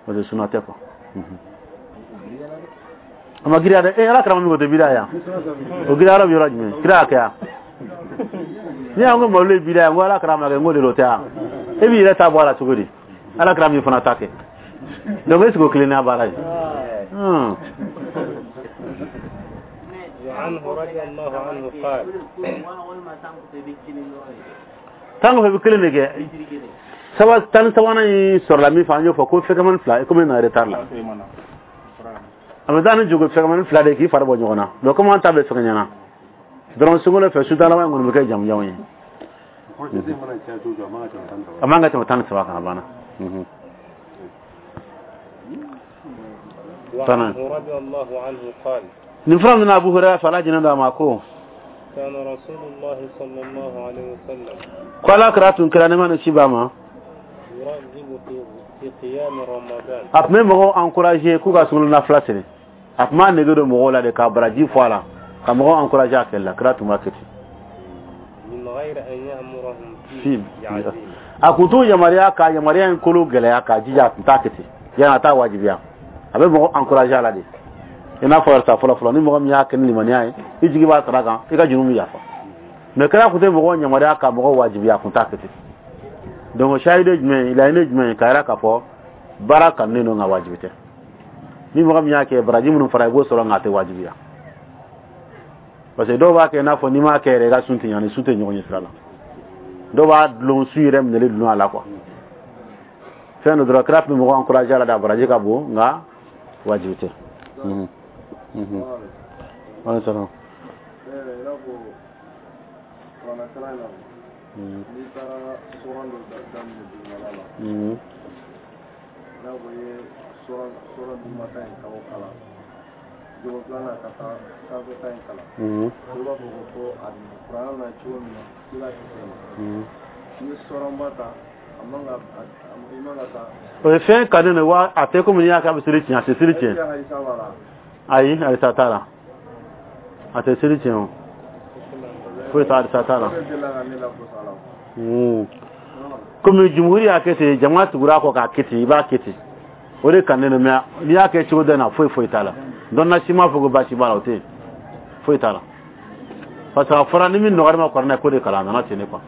Parce que suna tɛ quoi. A ma giriya dɛ. Ala kɛra min ko tɛ bida yan. O giriya yɔrɔ bɛ yɔrɔ jumɛn? Kira y'a kɛ yan. Ni y'an ko malo ye bida ye, n ko ala kɛra ma kɛ, n ko de o tɛ yan. E b'i yɛrɛ ta bɔ a la cogo di? Ala kɛra min fana ta kɛ. Donc est-ce que o tilennenya baara ye? Tan kɔfɛ bɛ kelen de kɛ. Saba tan ni sabanan in sɔrɔla min fɛ, an y'o fɔ ko fɛkɛmani 2, komi na retard la. A bɛ taa ni jogo fɛkɛmani 2 de k'i fari bɔ ɲɔgɔn na. Donc komi an ta bɛ fɛngɛ ɲɛna dɔrɔn, sunkalo fɛ su laban in kɔni bɛ kɛ jamujamu ye. A man ka tɛmɛ 13 kan, a banna. Nin fura min na Abu Hurairah fɛ, Ala jɛnna don a ma ko ko Ala kira tun kɛra nɛɛma ni kisi b'a ma, a tun bɛ mɔgɔw encourager k'u ka sunkalo nafila seli. A tun b'a nege don mɔgɔw la de ka baraji fɔ a la, ka mɔgɔw encourager a kɛli la. Kira tun b'a kɛ ten. A kun t'u yamaruya ka yamaruya in kolo gɛlɛya k'a jija, a tun t'a kɛ ten, yanni a t'a wajibiya. A bɛ mɔgɔ encourager a la de. I n'a fɔ sa fɔlɔ fɔlɔ, ni mɔgɔ min y'a kɛ ni limaniya ye, i jigi b'a sara kan, i ka jurumu bɛ yafa. Mais kira kun tɛ mɔgɔw yamaruya ka mɔgɔw wajibiya, a kun t'a kɛ ten. Donc sahidi jumɛn, laɲini jumɛn k'a yira k'a fɔ Baara kanunen don, nka wajibi tɛ. Ni mɔgɔ min y'a kɛ, baraji minnu fara, i b'o sɔrɔ, nka a tɛ wajibiya, parce que dɔw b'a kɛ i n'a fɔ n'i m'a kɛ yɛrɛ, i ka sun tɛ ɲa. Ni sun tɛ ɲɔgɔn ɲɛ sira la, dɔw b'a dulon sun yɛrɛ minɛli dulon a la quoi. Fɛn dɔ dɔrɔn, kira tun bɛ mɔgɔw encourager a la da, baraji ka bon, nka wajibi tɛ. Waaleykum salaam. I n'a fɔ kuranɛ kalan in na, n'i taara suran dɔ daminɛ dugumala la, i n'a fɔ i ye suran dugumata in ka o kalan, jogo filanan ka taa sanfɛta in kalan, i b'a fɔ ko a kuranɛ na cogo min na, i b'a kɛ ten. N'i ye suranba ta, a man ka, i man ka taa. O ye fɛn kanu de wa, a tɛ komi n'i y'a kɛ a bɛ seli tiɲɛ, a tɛ seli tiɲɛ. Ayi, hadisa t'a la, a tɛ seli tiɲɛ, o foyi t'a, hadisa t'a la. Komi jumhuri y'a kɛ ten, jama tugura kɔ k'a kɛ ten, i b'a kɛ ten, o de kanunen don. Mais n'i y'a kɛ cogo dɔ in na, foyi foyi t'a la. Dɔnna si m'a fɔ ko baasi b'a la, o tɛ yen, foyi t'a la, parce que a fɔra ni min nɔgɔyara ma kuranɛ ko de kalan, a nana ten de quoi.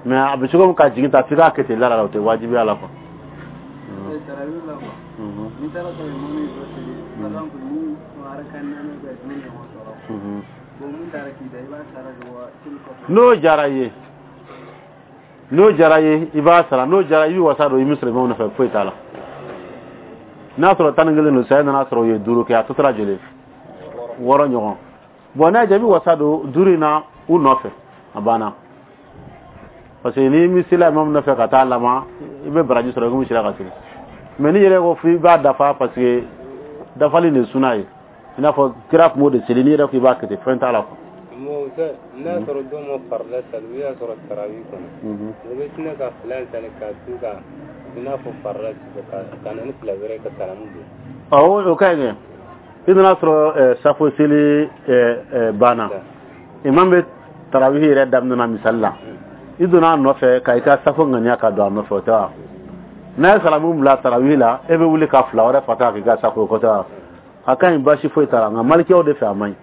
Mais a bɛ cogo min ka jigin ta, f'i k'a kɛ ten la la, o tɛ wajibiya la quoi. N'i taara sɔrɔ imamu ye dɔ seli, par exemple ni arakan naani bɛ duuru ɲɔgɔn sɔrɔ, bon, mun taara k'i da, i b'a sara de wa seli kɔfɛ? N'o diyara i ye, n'o diyara i ye, i b'a sara. N'o diyara, i bɛ wasa don i bɛ sɔrɔ imamu nɔfɛ, foyi t'a la. N'a sɔrɔ 11 don, saya nana sɔrɔ u ye duuru kɛ, a tɔ tora joli? Wɔɔrɔ ɲɔgɔn. Bon, n'a y'a diya, i bɛ wasa don duuru in na u nɔfɛ, a banna, parce que n'i mi sela imamu nɔfɛ ka taa laban, i bɛ baraji sɔrɔ i komi sera ka seli. Mais n'i yɛrɛ ko f'i b'a dafa, parce que dafali de ye suna ye, i n'a fɔ kira tun b'o de seli, n'i yɛrɛ ko i b'a kɛ ten, fɛn t'a la quoi. N'a sɔrɔ dɔw ma farida sali, u y'a sɔrɔ tarawi kɔnɔ, u bɛ sinɛ ka fila in sali ka tu ka i n'a fɔ farida ka na ni fila wɛrɛ ka salamu don. Awɔ, o ka ɲi kɛ. I nana sɔrɔ safo seli banna, imam bɛ tarawihi yɛrɛ daminɛ na, misali la, i donna a nɔfɛ ka i ka safo ŋaniya ka don a nɔfɛ, o tɛ wa? N'a ye salamu bila tarawihi la, e bɛ wuli ka fila wɛrɛ fata k'i ka safo, o tɛ wa? A ka ɲi, baasi foyi t'a la. Nka malikiyaw de fɛ, a man ɲi.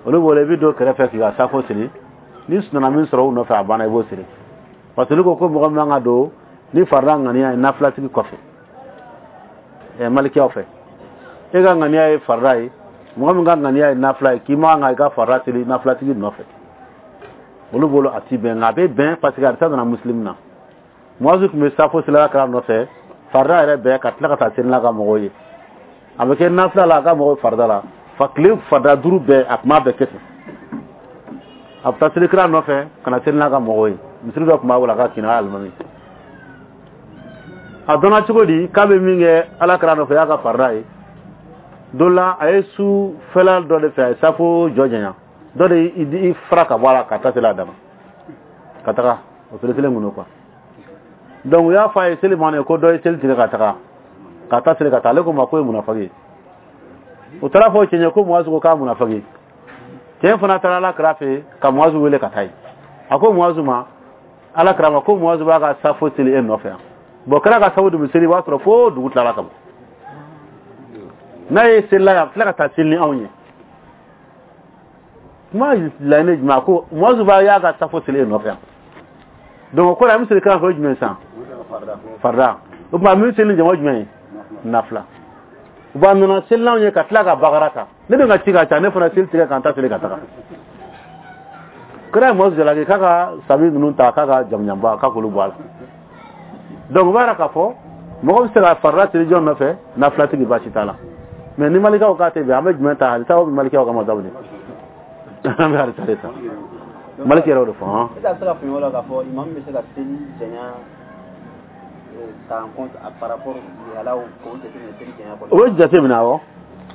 Olu bolo, i bɛ don kɛrɛfɛ k'i ka safo siri, ni sunana min sɔrɔ u nɔfɛ, a banna, i b'o siri, parce que olu ko ko mɔgɔ min man ka don ni farida ŋaniya ye nafilatigi kɔfɛ. Malikiyaw fɛ, e ka ŋaniya ye farida ye, mɔgɔ min ka ŋaniya ye nafila ye, k'i man kan i ka farida siri nafilatigi nɔfɛ, olu bolo a ti bɛn. Nka a bɛ bɛn, parce que hadisa nana Muslim na, Muazu tun bɛ safo seli kira nɔfɛ farida yɛrɛ bɛɛ, ka tila ka taa seli n'a ka mɔgɔw ye. A bɛ kɛ nafila la, a ka mɔgɔw farida la, fa tile farida duuru bɛɛ, a tun b'a bɛɛ kɛ ten. A bɛ taa seli kira nɔfɛ ka na seli n'a ka mɔgɔw ye. Misiri dɔ tun b'a bolo, a ka kinna alimami. A dɔnna cogo di k'a bɛ min kɛ ala kira nɔfɛ y'a ka farida ye? Don la, a ye su fɛla dɔ de fɛ, a ye safo jɔ janya dɔ de i fara ka bɔ a la ka taa seli a dama ka taga o seli kelen kun don quoi. Donc u y'a fɔ a ye seli ma ko dɔ ye seli tigɛ ka taga ka taa seli ka taa. Ale ko ma ko ye munafaki ye. U taara fɔ cɛ ɲɛ ko Muazu ko k'a munafaki. Cɛ fana taara ala kira fɛ ka Muazu wele ka taa yen. A ko Muazu ma, ala kira ma ko Muazu b'a ka safo seli e nɔfɛ yan. Bon, kira ka safo dun bɛ seli, i b'a sɔrɔ fo dugu tilala ka ban. N'a ye selila yan, a tila ka taa seli ni anw ye. Kuma laɲini jumɛn? A ko Muazu b'a y'a ka safo seli e nɔfɛ yan. Donc o kɔrɔ, an bɛ seli kira fɛ, o ye jumɛn sisan? Farida. O tuma min seli ni jama jumɛn ye? Nafila. Bon, a nana seli n'anw ye ka tila ka bagara ta. Ne dun ka ci ka ca, ne fana seli tigɛ ka n ta seli ka taga. Kira ye Muazu jalaki k'a ka sabi ninnu ta, k'a ka jamujanba k'a k'olu bɔ a la. Donc o b'a yira k'a fɔ mɔgɔ bɛ se ka farida seli jɔn nɔfɛ, nafilatigi, baasi t'a la. Mais ni malikaw k'a tɛ bɛn, an bɛ jumɛn ta? Hadisa bɛ malikaw ka masabu de, an bɛ hadisa de ta. Maliki yɛrɛ y'o de fɔ hɔn. Est-ce que a bɛ se ka faamuya o la k'a fɔ imam bɛ se ka seli janya ta en compte par rapport lihalaw k'o jateminɛ seli janya kɔnɔ? O bɛ jateminɛ, awɔ,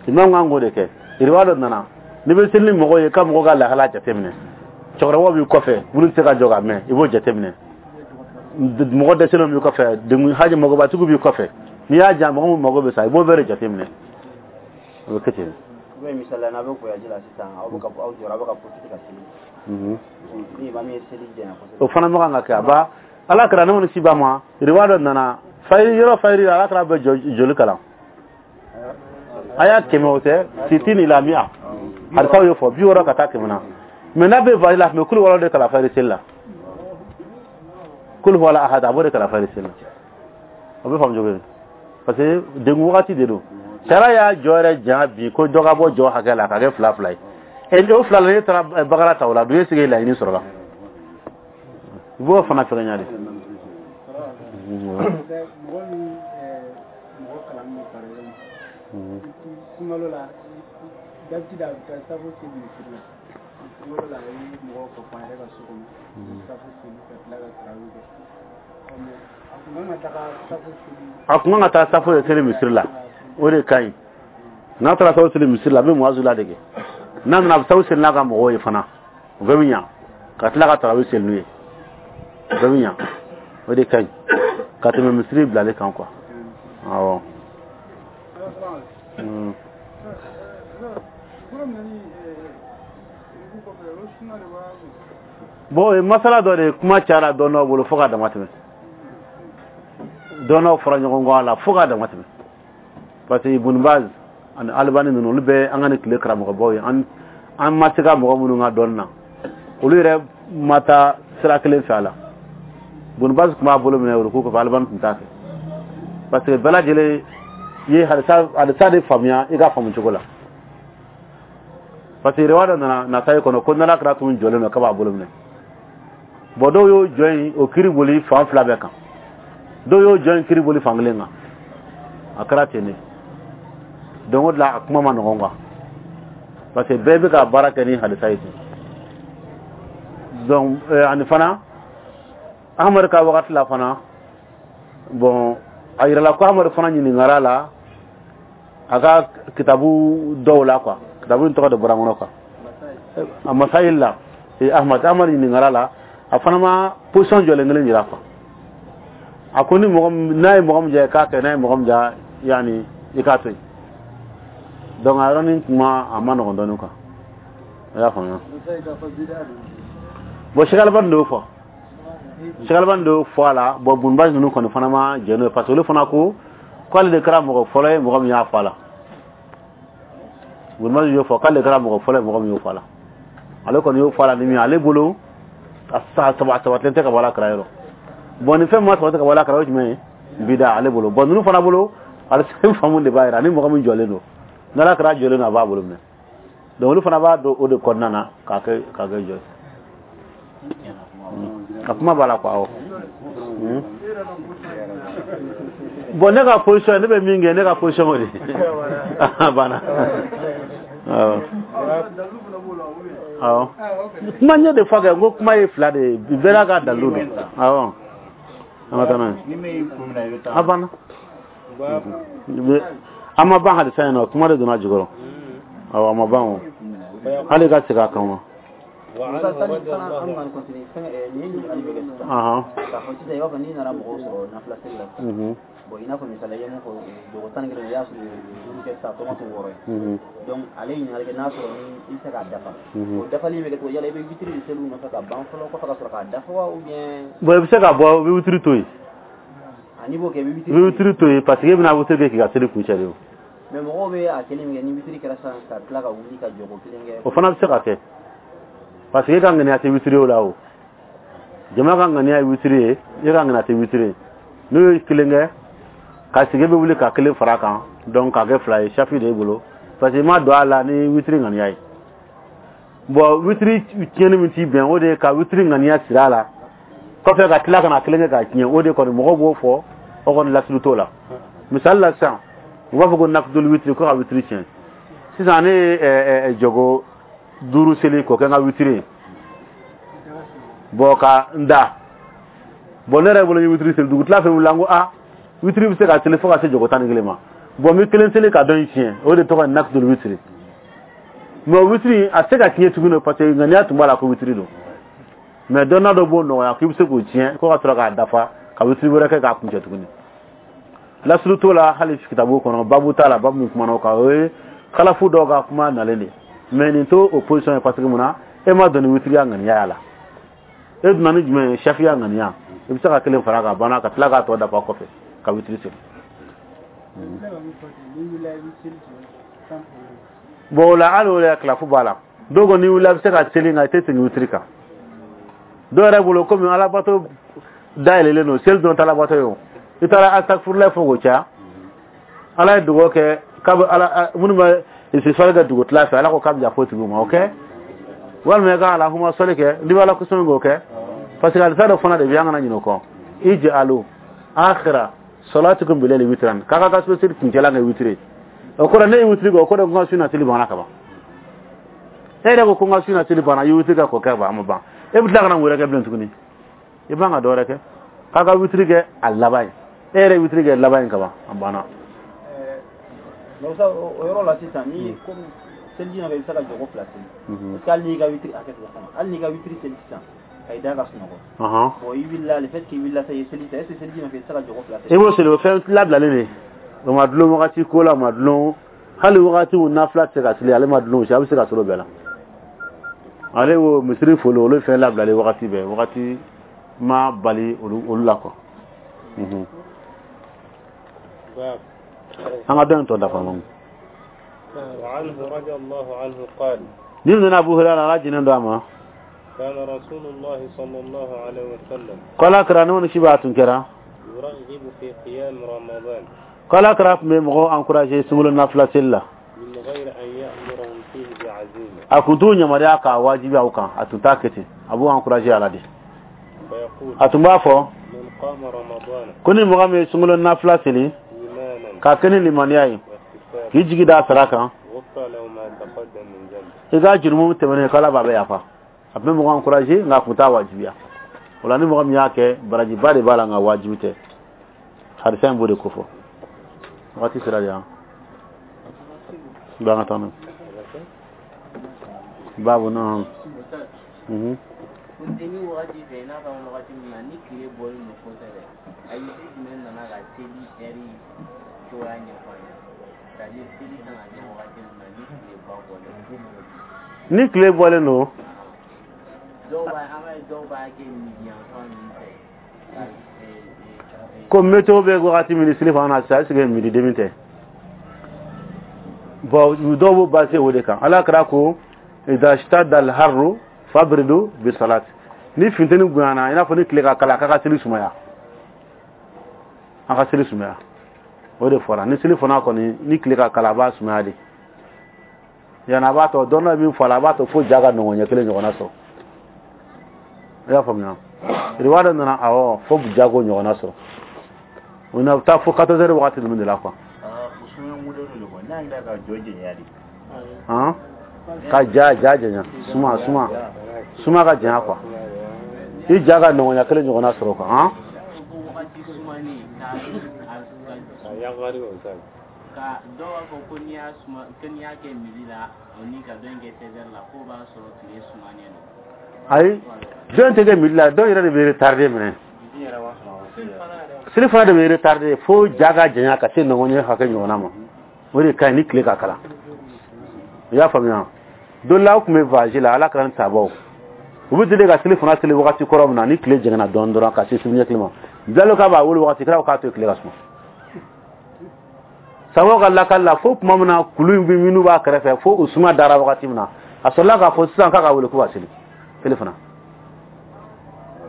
imam kan k'o de kɛ. Riwaya dɔ nana, n'i bɛ seli ni mɔgɔw ye, ka mɔgɔw ka lahala jateminɛ. Cɛkɔrɔbaw b'i kɔfɛ, minnu tɛ se ka jɔ ka mɛn, i b'o jateminɛ. Mɔgɔ dɛsɛlenw b'i kɔfɛ, degun haji mɔgɔbatigiw b'i kɔfɛ. N'i y'a jan, mɔgɔ min mago bɛ sa, i b'o bɛɛ de jateminɛ. O bɛ kɛ ten. Ou bien misaliya, n'a bɛ voyage la sisan, aw bɛ ka aw jɔra, aw bɛ ka profiter ka seli. Ni imam ye seli janya kosɛbɛ. O fana ma kan ka kɛ. A ba ala kɛra ne kɔni si ba ma. Riwaya dɔ nana fayiri yɔrɔ, fayiri ala kɛra bɛ joli kalan a y'a 100, o tɛ sitini ila mi'a, hadisaw y'o fɔ, 60 ka taa 100 na. Mais n'a bɛ voyage la, a tun bɛ kulu wɔɔrɔ de kalan fayiri seli la, kulu wala ahad, a b'o de kalan fayiri seli la. O bɛ faamu cogo di? Parce que degun wagati de don. Sariya y'a jɔ yɛrɛ janya bi ko dɔ ka bɔ jɔ hakɛ la ka kɛ fila fila ye. E o fila la, ne taara bakara ta o la dun, e sigi laɲini sɔrɔ la, i b'o fana fɛngɛ de. Mɔgɔ min mɔgɔ kalan bɛ, par exemple sunkalo la, d'habitude a bɛ taa safo seli misiri la. Sunkalo la, a ye mɔgɔw ka fɔ a yɛrɛ ka so kɔnɔ, safo seli ka tila ka tarawih kɛ. Mais a kun kan ka taga safo seli. A kun kan ka taa safo de seli misiri la, o de ka ɲi. N'a taara safo seli misiri la, a bɛ muwazu la dege. N'a nana, a bɛ safo seli n'a ka mɔgɔw ye fana, o bɛɛ bɛ ɲa, ka tila ka tarawih seli n'u ye, o bɛɛ bɛ ɲa. O de ka ɲi ka tɛmɛ misiri bilalen kan quoi. Awɔ. Bon, o ye masala dɔ de ye, kuma cayara dɔnnaw bolo fo ka dama tɛmɛ. Dɔnnaw fɔra ɲɔgɔn kɔ a la fo ka dama tɛmɛ, parce que Ibn Baz ani Albani ninnu, olu bɛ an ka nin tile karamɔgɔbaw ye, an ma se ka mɔgɔ minnu ka dɔnni na, olu yɛrɛ ma taa sira kelen fɛ a la. Ibn Baz tun b'a bolo minɛ olu kɔfɛ, Albani tun t'a fɛ, parce que bɛɛ lajɛlen ye hadisa de faamuya i ka faamu cogo la. Parce que riwaya dɔ nana Nasayi kɔnɔ ko n'Ala kɛra tun jɔlen don k'a b'a bolo minɛ. Bon, dɔw y'o jɔ in, o kiri boli fan fila bɛɛ kan, dɔw y'o jɔ in kiri boli fan kelen kan. A kɛra ten de. Donc o de la, a kuma ma nɔgɔn quoi, parce que bɛɛ bɛ ka baara kɛ ni hadisa ye ten. Donc ani fana Ahmadu ka wagati la fana, bon, a yirala ko Ahmadu fana ɲininkara la a ka kitabu dɔw la quoi. Kitabu in tɔgɔ de bɔra n kɔnɔ quoi, a masayil la. Ahmad ɲininkara la, a fana ma position jɔlen kelen yira quoi. A ko ni mɔgɔ n'a ye mɔgɔ min diya, i k'a kɛ, n'a ye mɔgɔ min diya, yani i k'a to yen. Donc a yɔrɔnin kuma a ma nɔgɔn dɔɔnin quoi, i y'a faamuya. Bon, Cheikh Albani de y'o fɔ, Cheikh Albani de y'o fɔ a la. Bon, Ibn Baz ninnu kɔni fana ma jɛn n'o ye, parce que olu fana ko k'ale de kɛra mɔgɔ fɔlɔ ye mɔgɔ min y'a fɔ a la. Ibn Baz y'o fɔ k'ale de kɛra mɔgɔ fɔlɔ ye mɔgɔ min y'o fɔ a la. Ale kɔni y'o fɔ a la ni min ye, ale bolo a sabatilen tɛ ka bɔ ala kɛra yɔrɔ. Bon, ni fɛn ma sabati ka bɔ ala kɛra, o ye jumɛn ye? Bida ale bolo. Bon, ninnu fana bolo, ale faamu de b'a yira ni mɔgɔ min jɔlen don, n'ala kɛra jɔlen don, a b'a bolo minɛ. Donc olu fana b'a dɔn o de kɔnɔna na k'a kɛ jɔ ye. A kuma b'a la quoi, awɔ. Bon, ne ka position, ne bɛ min kɛ, ne ka position o de a banna. Awɔ, awɔ, kuma ɲɛ de fɔ kɛ n ko kuma ye fila de ye, bɛɛ n'a ka dalilu don. Awɔ, an ka taa n'a ye, a banna. An ma ban hadisa in na, kuma de donna jukɔrɔ. Awɔ, a ma ban o, hali ka segin a kan wa. Musa, sani fana an ka continuer fɛn, nin ye ɲininkali bɛ kɛ sisan. K'a fɔ sisan, i b'a fɔ n'i nana mɔgɔw sɔrɔ nafila seli la sisan. Bon, i n'a fɔ misali i ye mun fɔ, jogo 11, i y'a sɔrɔ duuru kɛ sisan, a tɔ ma to wɔɔrɔ ye. Donc ale ye ɲininkali kɛ n'a sɔrɔ ni i bɛ se k'a dafa. O dafali in bɛ kɛ cogo, yala i bɛ witiri de seli u nɔfɛ ka ban fɔlɔ, kɔfɛ ka sɔrɔ k'a dafa wa, ou bien? Bon, i bɛ se ka bɔ, i bɛ witiri to yen. A n'i b'o kɛ, i bɛ witiri. I bɛ witiri to yen, parce que e bɛna witiri kɛ k'i ka seli kuncɛ de o. Mais mɔgɔw bɛ a kɛli min kɛ, ni witiri kɛra sisan ka tila ka wuli ka jɔko kelen kɛ. O fana bɛ se ka kɛ, parce que e ka ŋaniya tɛ witiri o la o. Jama ka ŋaniya ye witiri ye, e ka ŋaniya tɛ witiri ye. N'o ye kelen kɛ ka sigi, e bɛ wuli ka kelen fara a kan, donc k'a kɛ fila ye, safi de y'e bolo, parce que i ma don a la ni witiri ŋaniya ye. Bon, witiri tiɲɛni min t'i bɛn, o de ye ka witiri ŋaniya siri a la kɔfɛ ka tila ka na kelen kɛ k'a tiɲɛ. O de kɔni mɔgɔw b'o fɔ, o kɔni lasulu t'o la. Misali la sisan, u b'a fɔ ko nafidul witiri, ko ka witiri tiɲɛ. Sisan ne ye jɔgo duuru seli k'o kɛ n ka witiri ye, bon, ka n da. Bon, ne yɛrɛ bolo n ye witiri seli, dugutila fɛ wulila, n ko a witiri bɛ se ka seli fo ka se jɔgo 11 ma. Bon, n bɛ kelen seli ka dɔ in tiɲɛ, o de tɔgɔ ye nafidul witiri. Mais witiri a tɛ se ka tiɲɛ tuguni, parce que ŋaniya tun b'a la ko witiri don. Mais dɔnna dɔ b'o nɔgɔya k'i bɛ se k'o tiɲɛ ko ka sɔrɔ k'a dafa ka witiri wɛrɛ kɛ k'a kuncɛ tuguni. Lasulu t'o la hali kitabu kɔnɔ, babu t'a la, babu min kumana o kan, o ye kalafu dɔw ka kuma nalen de. Mais nin t'o o position ye, parce que mun na e ma don ni witiriya ŋaniya y'a la, e donna ni jumɛn ye? Safiya ŋaniya. I bɛ se ka kelen fara kan, banna, ka tila k'a tɔ dafa kɔfɛ ka witiri seli. Bon, o la hali o la kilafu b'a la. Dɔw ko n'i wulila, i bɛ se ka seli, nka i tɛ segin witiri kan. Dɔw yɛrɛ bolo, komi alabato dayɛlɛlen don, seli dɔrɔn tɛ alabato ye o. I taara astagfirullah fɔ k'o caya. Ala ye dugawu kɛ k'a bɛ ala minnu bɛ istifari kɛ dugutila fɛ, Ala ko k'a bɛ yafa o tigiw ma, o kɛ. Walima i ka alahuma sɔli kɛ, n'i bɛ Ala kosɔn k'o kɛ, parce que alisa dɔ fana de bɛ, an kana ɲinɛ o kɔ. Ij'alu akhira salatikum bilayli witran, k'a ka so seli kuncɛla kɛ witiri. O kɔrɔ, ne ye witiri kɛ, o kɔrɔ ko n ka su na seli banna ka ban. E yɛrɛ ko ko n ka su na seli banna, i ye witiri kɛ k'o kɛ ban, a ma ban. E bɛ tila ka na mun wɛrɛ kɛ bilen tuguni? I man ka dɔ wɛrɛ kɛ. K'a ka witiri kɛ a laban ye. E yɛrɛ ye witiri kɛ laban ye ka ban, a banna. Mais o yɔrɔ la sisan, ni komi seliji nɔfɛ, i bɛ se ka jɔko fila seli. Parce que hali n'i ka witiri hakɛ to fana, hali n'i ka witiri seli sisan ka i da ka sunɔgɔ, bon, i wulila, le fait que i wulila sa, i ye seli ta, est ce que seliji nɔfɛ i tɛ se ka jɔko fila seli? I b'o seli, o fɛn labilalen de. O ma dulon wagati ko la, o ma dulon hali wagati min nafila tɛ se ka seli, ale ma dulon o si, a bɛ se ka sɔrɔ o bɛɛ la. Ale wo misiri foli, olu fɛn labilalen wagati bɛɛ, wagati ma bali olu la quoi. An ka dɔn in tɔ dafa ma. وعنه رضي الله عنه قال: Ni nana Abu Hurairah, Ala jinen do a ma. كان رسول الله صلى الله عليه وسلم K'Ala kira ne si b'a tun kɛra يرغب في قيام رمضان k'Ala kira tun bɛ mɔgɔw encourager sunkalo nafila seli la من غير أن يأمرهم فيه بعزيمة. A kun t'u yamaruya k'a wajibiya u kan, a tun t'a kɛ ten, a b'u encourager a la de. فيقول: A tun b'a fɔ من قام رمضان ko ni mɔgɔ min ye sunkalo nafila seli إيمانا k'a kɛ ni limaniya ye, واحتسابا k'i jigi da sara kan, غفر له ما تقدم من ذنبه. I ka jurumu tɛmɛnen, k'Ala b'a bɛ yafa. A tun bɛ mɔgɔ encourager, nka a kun t'a wajibiya. O la, ni mɔgɔ min y'a kɛ, barajiba de b'a la, nka wajibi tɛ. Hadisa in b'o de kofɔ. Wagati sera de yan ba, an ka taa n'o ye baabu na. Funteni wagati fɛ, i n'a fɔ wagati min na ni tile bɔlen don kosɛbɛ, hadisi jumɛn nana ka seli ɛri cogoya ɲɛfɔ an ɲɛna? C'est à dire, seli kan ka kɛ wagati min na ni tile ba bɔlen don. Ni tile bɔlen don. Dɔw b'a, an b'a ye dɔw b'a kɛ midi yanfan ninnu fɛ ka Ko météo bɛ wagati min ni seli fana na sisan, est ce que midi demi tɛ? Bon, dɔw b'o basé o de kan. Ala kɛra ko idha ishtadda al-harru fabridu bi salat, ni funteni bonyana, i n'a fɔ ni tile ka kala, k'a ka seli sumaya, a ka seli sumaya. O de fɔra. Ni seli fana kɔni, ni tile ka kala, a b'a sumaya de. Yanni a b'a tɔ dɔn dɔ min fɔ a la, a b'a to fo ja ka nɔgɔn ɲɛ kelen ɲɔgɔnna sɔrɔ. I y'a faamuya? Riwaya dɔ nana, awɔ, fo ja k'o ɲɔgɔnna sɔrɔ. O na taa fo 14 heures wagati ninnu de la quoi. O sumaya modèle de quoi? N'a yɛrɛ ka jɔ jɛnya de. Han, ka ja ja janya, suma suma suma ka janya quoi, i ja ka nɔgɔnya kelen ɲɔgɔnna sɔrɔ quoi, han. Ko wagati sumani ka yagari o sa. Ka dɔw b'a fɔ ko n'i y'a suma, ko n'i y'a kɛ midi la, o ni ka dɔ in kɛ 16 heures la, k'o b'a sɔrɔ tile sumanen don. Ayi, dɔn tɛ kɛ midi la, dɔw yɛrɛ de bɛ retardé minɛ. Seli fana de bɛ retardé fo ja ka janya ka se nɔgɔn ɲɛ hakɛ ɲɔgɔnna ma. O de ka ɲi ni tile ka kalan. I y'a faamuya? Don la, aw tun bɛ voyage la, Ala kɛra ni sabaw, u bɛ deli ka seli fana seli wagati kɔrɔ min na ni tile jɛngɛnna dɔɔnin dɔrɔn ka se seli ɲɛ kelen ma. Bilalo k'a b'a wele wagati kɛra k'a to yen, tile ka suma. Sabaw ka lakali la, fo tuma min na kulu in bɛ minnu b'a kɛrɛfɛ, fo u suma dara wagati min na, a sɔrɔla k'a fɔ sisan k'a ka wele ko ka seli seli fana.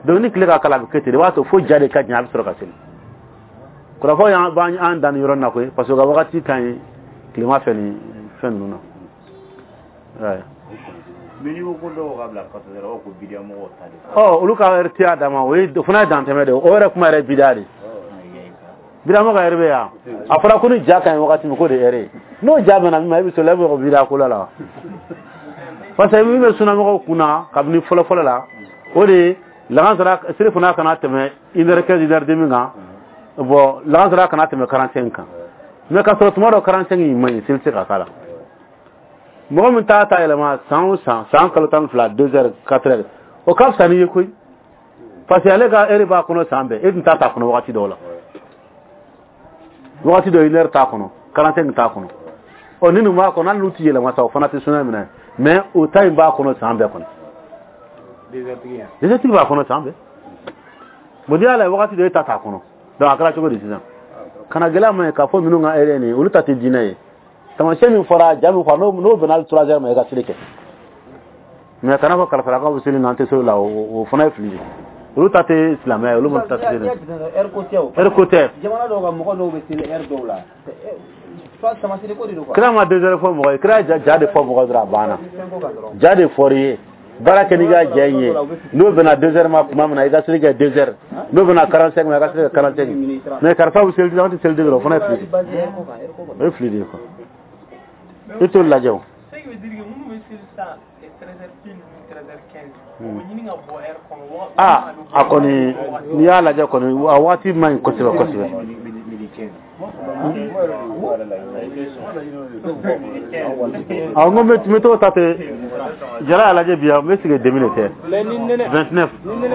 Donc ni tile ka kala, a bɛ kɛ ten de, i b'a to fo ja de ka janya, a bɛ sɔrɔ ka seli. Kɔrɔfɔ y'an b'an an dan nin yɔrɔ in na koyi, parce que u ka wagati ka ɲi tilema fɛ ni fɛn ninnu na. Ouais. Mais n'i ko ko dɔw ka bila 14 heures, o ko bidiya mɔgɔw ta de. Ɔ, olu ka heure t'a dama, o ye o fana ye dantɛmɛ de ye. O yɛrɛ kuma yɛrɛ ye bidiya de ye. Bidiya mɔgɔ ka heure bɛ yan. A fɔra ko ni ja ka ɲi wagati min, k'o de ye heure ye. N'o ja bɛnna min ma, e bɛ sɔrɔ e bɛ bidiya ko la la. Parce que min bɛ sunamɔgɔw kunna kabini fɔlɔ fɔlɔ la, o de ye lagansara seli fana kana tɛmɛ 1h15, 1h30 kan. Bon, lagansara kana tɛmɛ 45 kan. Mais ka sɔrɔ tuma dɔ 45 in man ɲi, seli tɛ se ka k'a la. Mɔgɔ min t'a ta yɛlɛma san o san, san kalo 12, 2 heures, 4 heures, o ka fisa n'i ye koyi, parce que ale ka heure b'a kɔnɔ san bɛɛ, e tun t'a ta kɔnɔ wagati dɔw la. Wagati dɔ 1 heure t'a kɔnɔ, 45 t'a kɔnɔ. Ɔ, ni nin b'a kɔnɔ, hali n'u ti yɛlɛma sa, o fana tɛ suna minɛ. Mais o ta in b'a kɔnɔ san bɛɛ kɔnɔ. Désert b'a kɔnɔ san bɛɛ. Bon, n'i y'a lajɛ, wagati dɔ e ta t'a kɔnɔ. Donc a kɛra cogo di sisan? Kana gɛlɛya ma ye k'a fɔ ninnu ka heure nin, olu ta tɛ diinɛ ye. Taamasiyɛn min fɔra, ja min fɔra, n'o bɛnna hali 3 heures ma, i ka seli kɛ. Mais kana fɔ kalifarakaw bɛ seli na, an tɛ seli la, o fana ye fili ye. Olu ta tɛ silamɛya ye, olu ma ta tɛ. N'i y'a jateminɛ, heure ko tɛ o. Heure ko tɛ. Jamana dɔw ka mɔgɔ dɔw bɛ seli heure dɔw la. Tamasire ko de don quoi. Kira ma 2 heures fɔ mɔgɔ ye, kira ja de fɔ mɔgɔ dɔrɔn, a banna. Fɛn ko kan dɔrɔn. Ja de fɔr'i ye, baara kɛ n'i ka ja in ye. N'o bɛnna 2 heures ma tuma min na, i ka seli kɛ 2 heures. N'o bɛnna 45 ma, i ka seli kɛ 45. Mais karisa bɛ seli, an tɛ seli 2 heures, o fana ye fili de. Basé heure ko kan, heure ko kan. O ye fili de ye quoi. I t'olu lajɛ o. Ce qui veut dire que minnu bɛ seli sisan 13h pile ni 13h15, o bɛ ɲini ka bɔ heure kɔnɔ. Ah, a kɔni, n'i y'a lajɛ kɔni, a waati man ɲi kosɛbɛ kosɛbɛ. Awɔ, n ko n bɛ t'o ta ten. Jara y'a lajɛ bi, n bɛ sigi demi de tɛ. Mais ni nɛnɛ 29. Ni nɛnɛ Ɔ,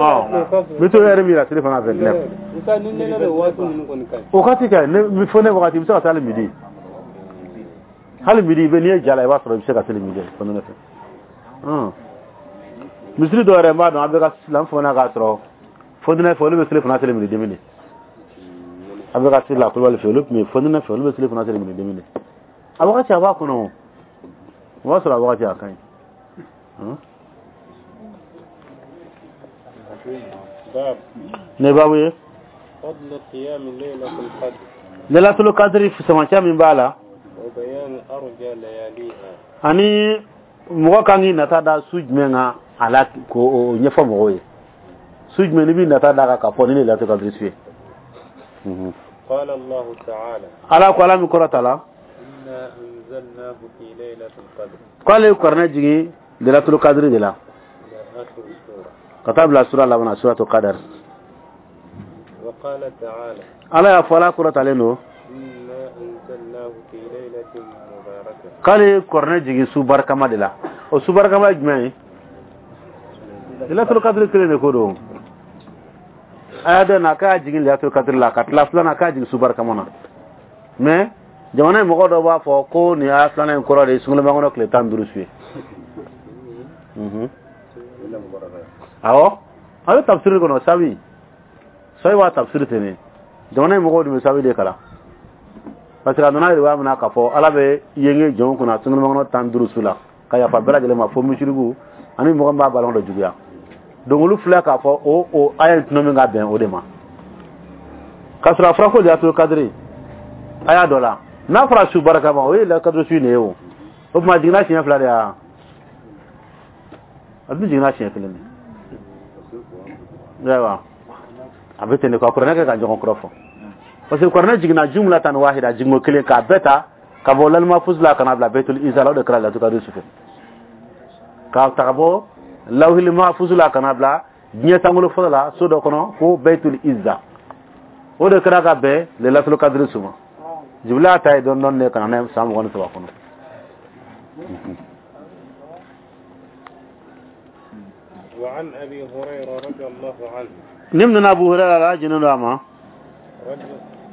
ka n bɛ t'o heure min yira seli fana 29. Musa, ni nɛnɛ bɛ waati ninnu kɔni ka ɲi. O waati ka ɲi, ne fo ne wagati, i bɛ se ka taa hali midi. Hali midi, i bɛ n'i ye ja la, i b'a sɔrɔ i bɛ se ka seli midi fo nɛnɛ fɛ. Misiri dɔw yɛrɛ n b'a dɔn, an bɛ ka silamɛ fana k'a sɔrɔ fo nɛnɛ fɛ, olu bɛ seli fana seli midi demi de. An bɛ ka seli la Kulubali fɛ, olu tun bɛ fo nɛnɛ fɛ, olu bɛ seli fana seli midi demi de. A wagati a b'a kɔnɔ o. O b'a sɔrɔ a wagati a ka ɲi. باب Ne baabu ye. فضل قيام ليلة القدر. Lailatul Qadri fisamanciya min b'a la. وبيان أرجى لياليها. Ani mɔgɔ kan k'i nata da su jumɛn kan a la k'o ɲɛfɔ mɔgɔw ye. Su jumɛn n'i b'i nata da kan k'a fɔ ni Lailatul Qadri su ye. قال الله تعالى. Ala ko, Ala min kɔrɔta la. إنا أنزلناه في ليلة القدر. K'ale ye kuranɛ jigin Lailatul Qadri de la. إلى آخر السورة. Ka taa bila sura laban na, suratul Qadr. وقال تعالى. Ala y'a fɔ, Ala kɔrɔtalen don. إنا أنزلناه في ليلة مباركة. K'ale ye kuranɛ jigin su barikama de la. O su barikama ye jumɛn ye? Lailatul Qadri kelen de ko don. Aya dɔ na k'a jigin Lailatul Qadri la, ka tila filanan k'a jigin su barikama na. Mais jamana in mɔgɔ dɔw b'a fɔ ko nin aya filanan in kɔrɔ de ye sunkalomakɔnɔ kɔnɔ tile 15 su ye. Awɔ, a bɛ tafsiri kɔnɔ, sabi sabi b'a tafsiri ten de. Jamana in mɔgɔw dun bɛ sabi de kalan. Parce que a nana yɛrɛ min na k'a fɔ Ala bɛ yenge jɔnw kunna sunkalomakɔnɔ 15 su la ka yafa bɛɛ lajɛlen ma fo misiriku ani mɔgɔ min b'a balima dɔ juguya. Donc olu filɛ k'a fɔ o aya in tɔnɔ min ka bɛn o de ma. K'a sɔrɔ a fɔra ko Lailatul Qadri aya dɔ la, n'a fɔra su barikama, o ye Lailatul Qadri su in de ye o. O tuma a jiginna siɲɛ fila de ya? A dun jiginna siɲɛ kelen de. Ayiwa, a bɛ ten de quoi, kuranɛ kɛ ka ɲɔgɔn kɔrɔ fɔ. Parce que kuranɛ jiginna jumla tan wahida, jiginko kelen k'a bɛɛ ta ka bɔ lalima fusu la ka na bila Baitul Izza la, o de kɛra Lailatul Qadri su fɛ. K'a ta ka bɔ lawhil mahfuz la ka na bila diɲɛ sankolo fɔlɔ la so dɔ kɔnɔ ko Baitul Izza, o de kɛra ka bɛn Lailatul Qadri su ma. Jibrila y'a ta ye dɔɔni dɔɔni de ka na n'a ye san 23 kɔnɔ. وعن أبي هريرة رضي الله عنه. نمنا أبو هريرة لا جنون أما.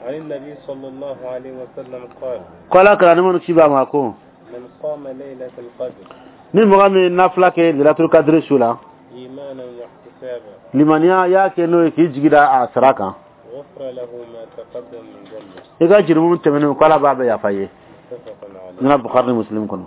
عن النبي صلى الله عليه وسلم قال. قال كلا نمن كشيبا ماكو. من قام ليلة القدر. ni mɔgɔ min nafila kɛ Lailatul Qadri su la. إيمانا واحتسابا. Limaniya y'a kɛ n'o ye k'i jigi da a sara kan. غفر له ما تقدم من ذنبه. I ka jurumu tɛmɛnen ko Ala b'a bɛɛ yafa i ye. متفق عليه. Nana Bukhari ni Muslim kɔnɔ.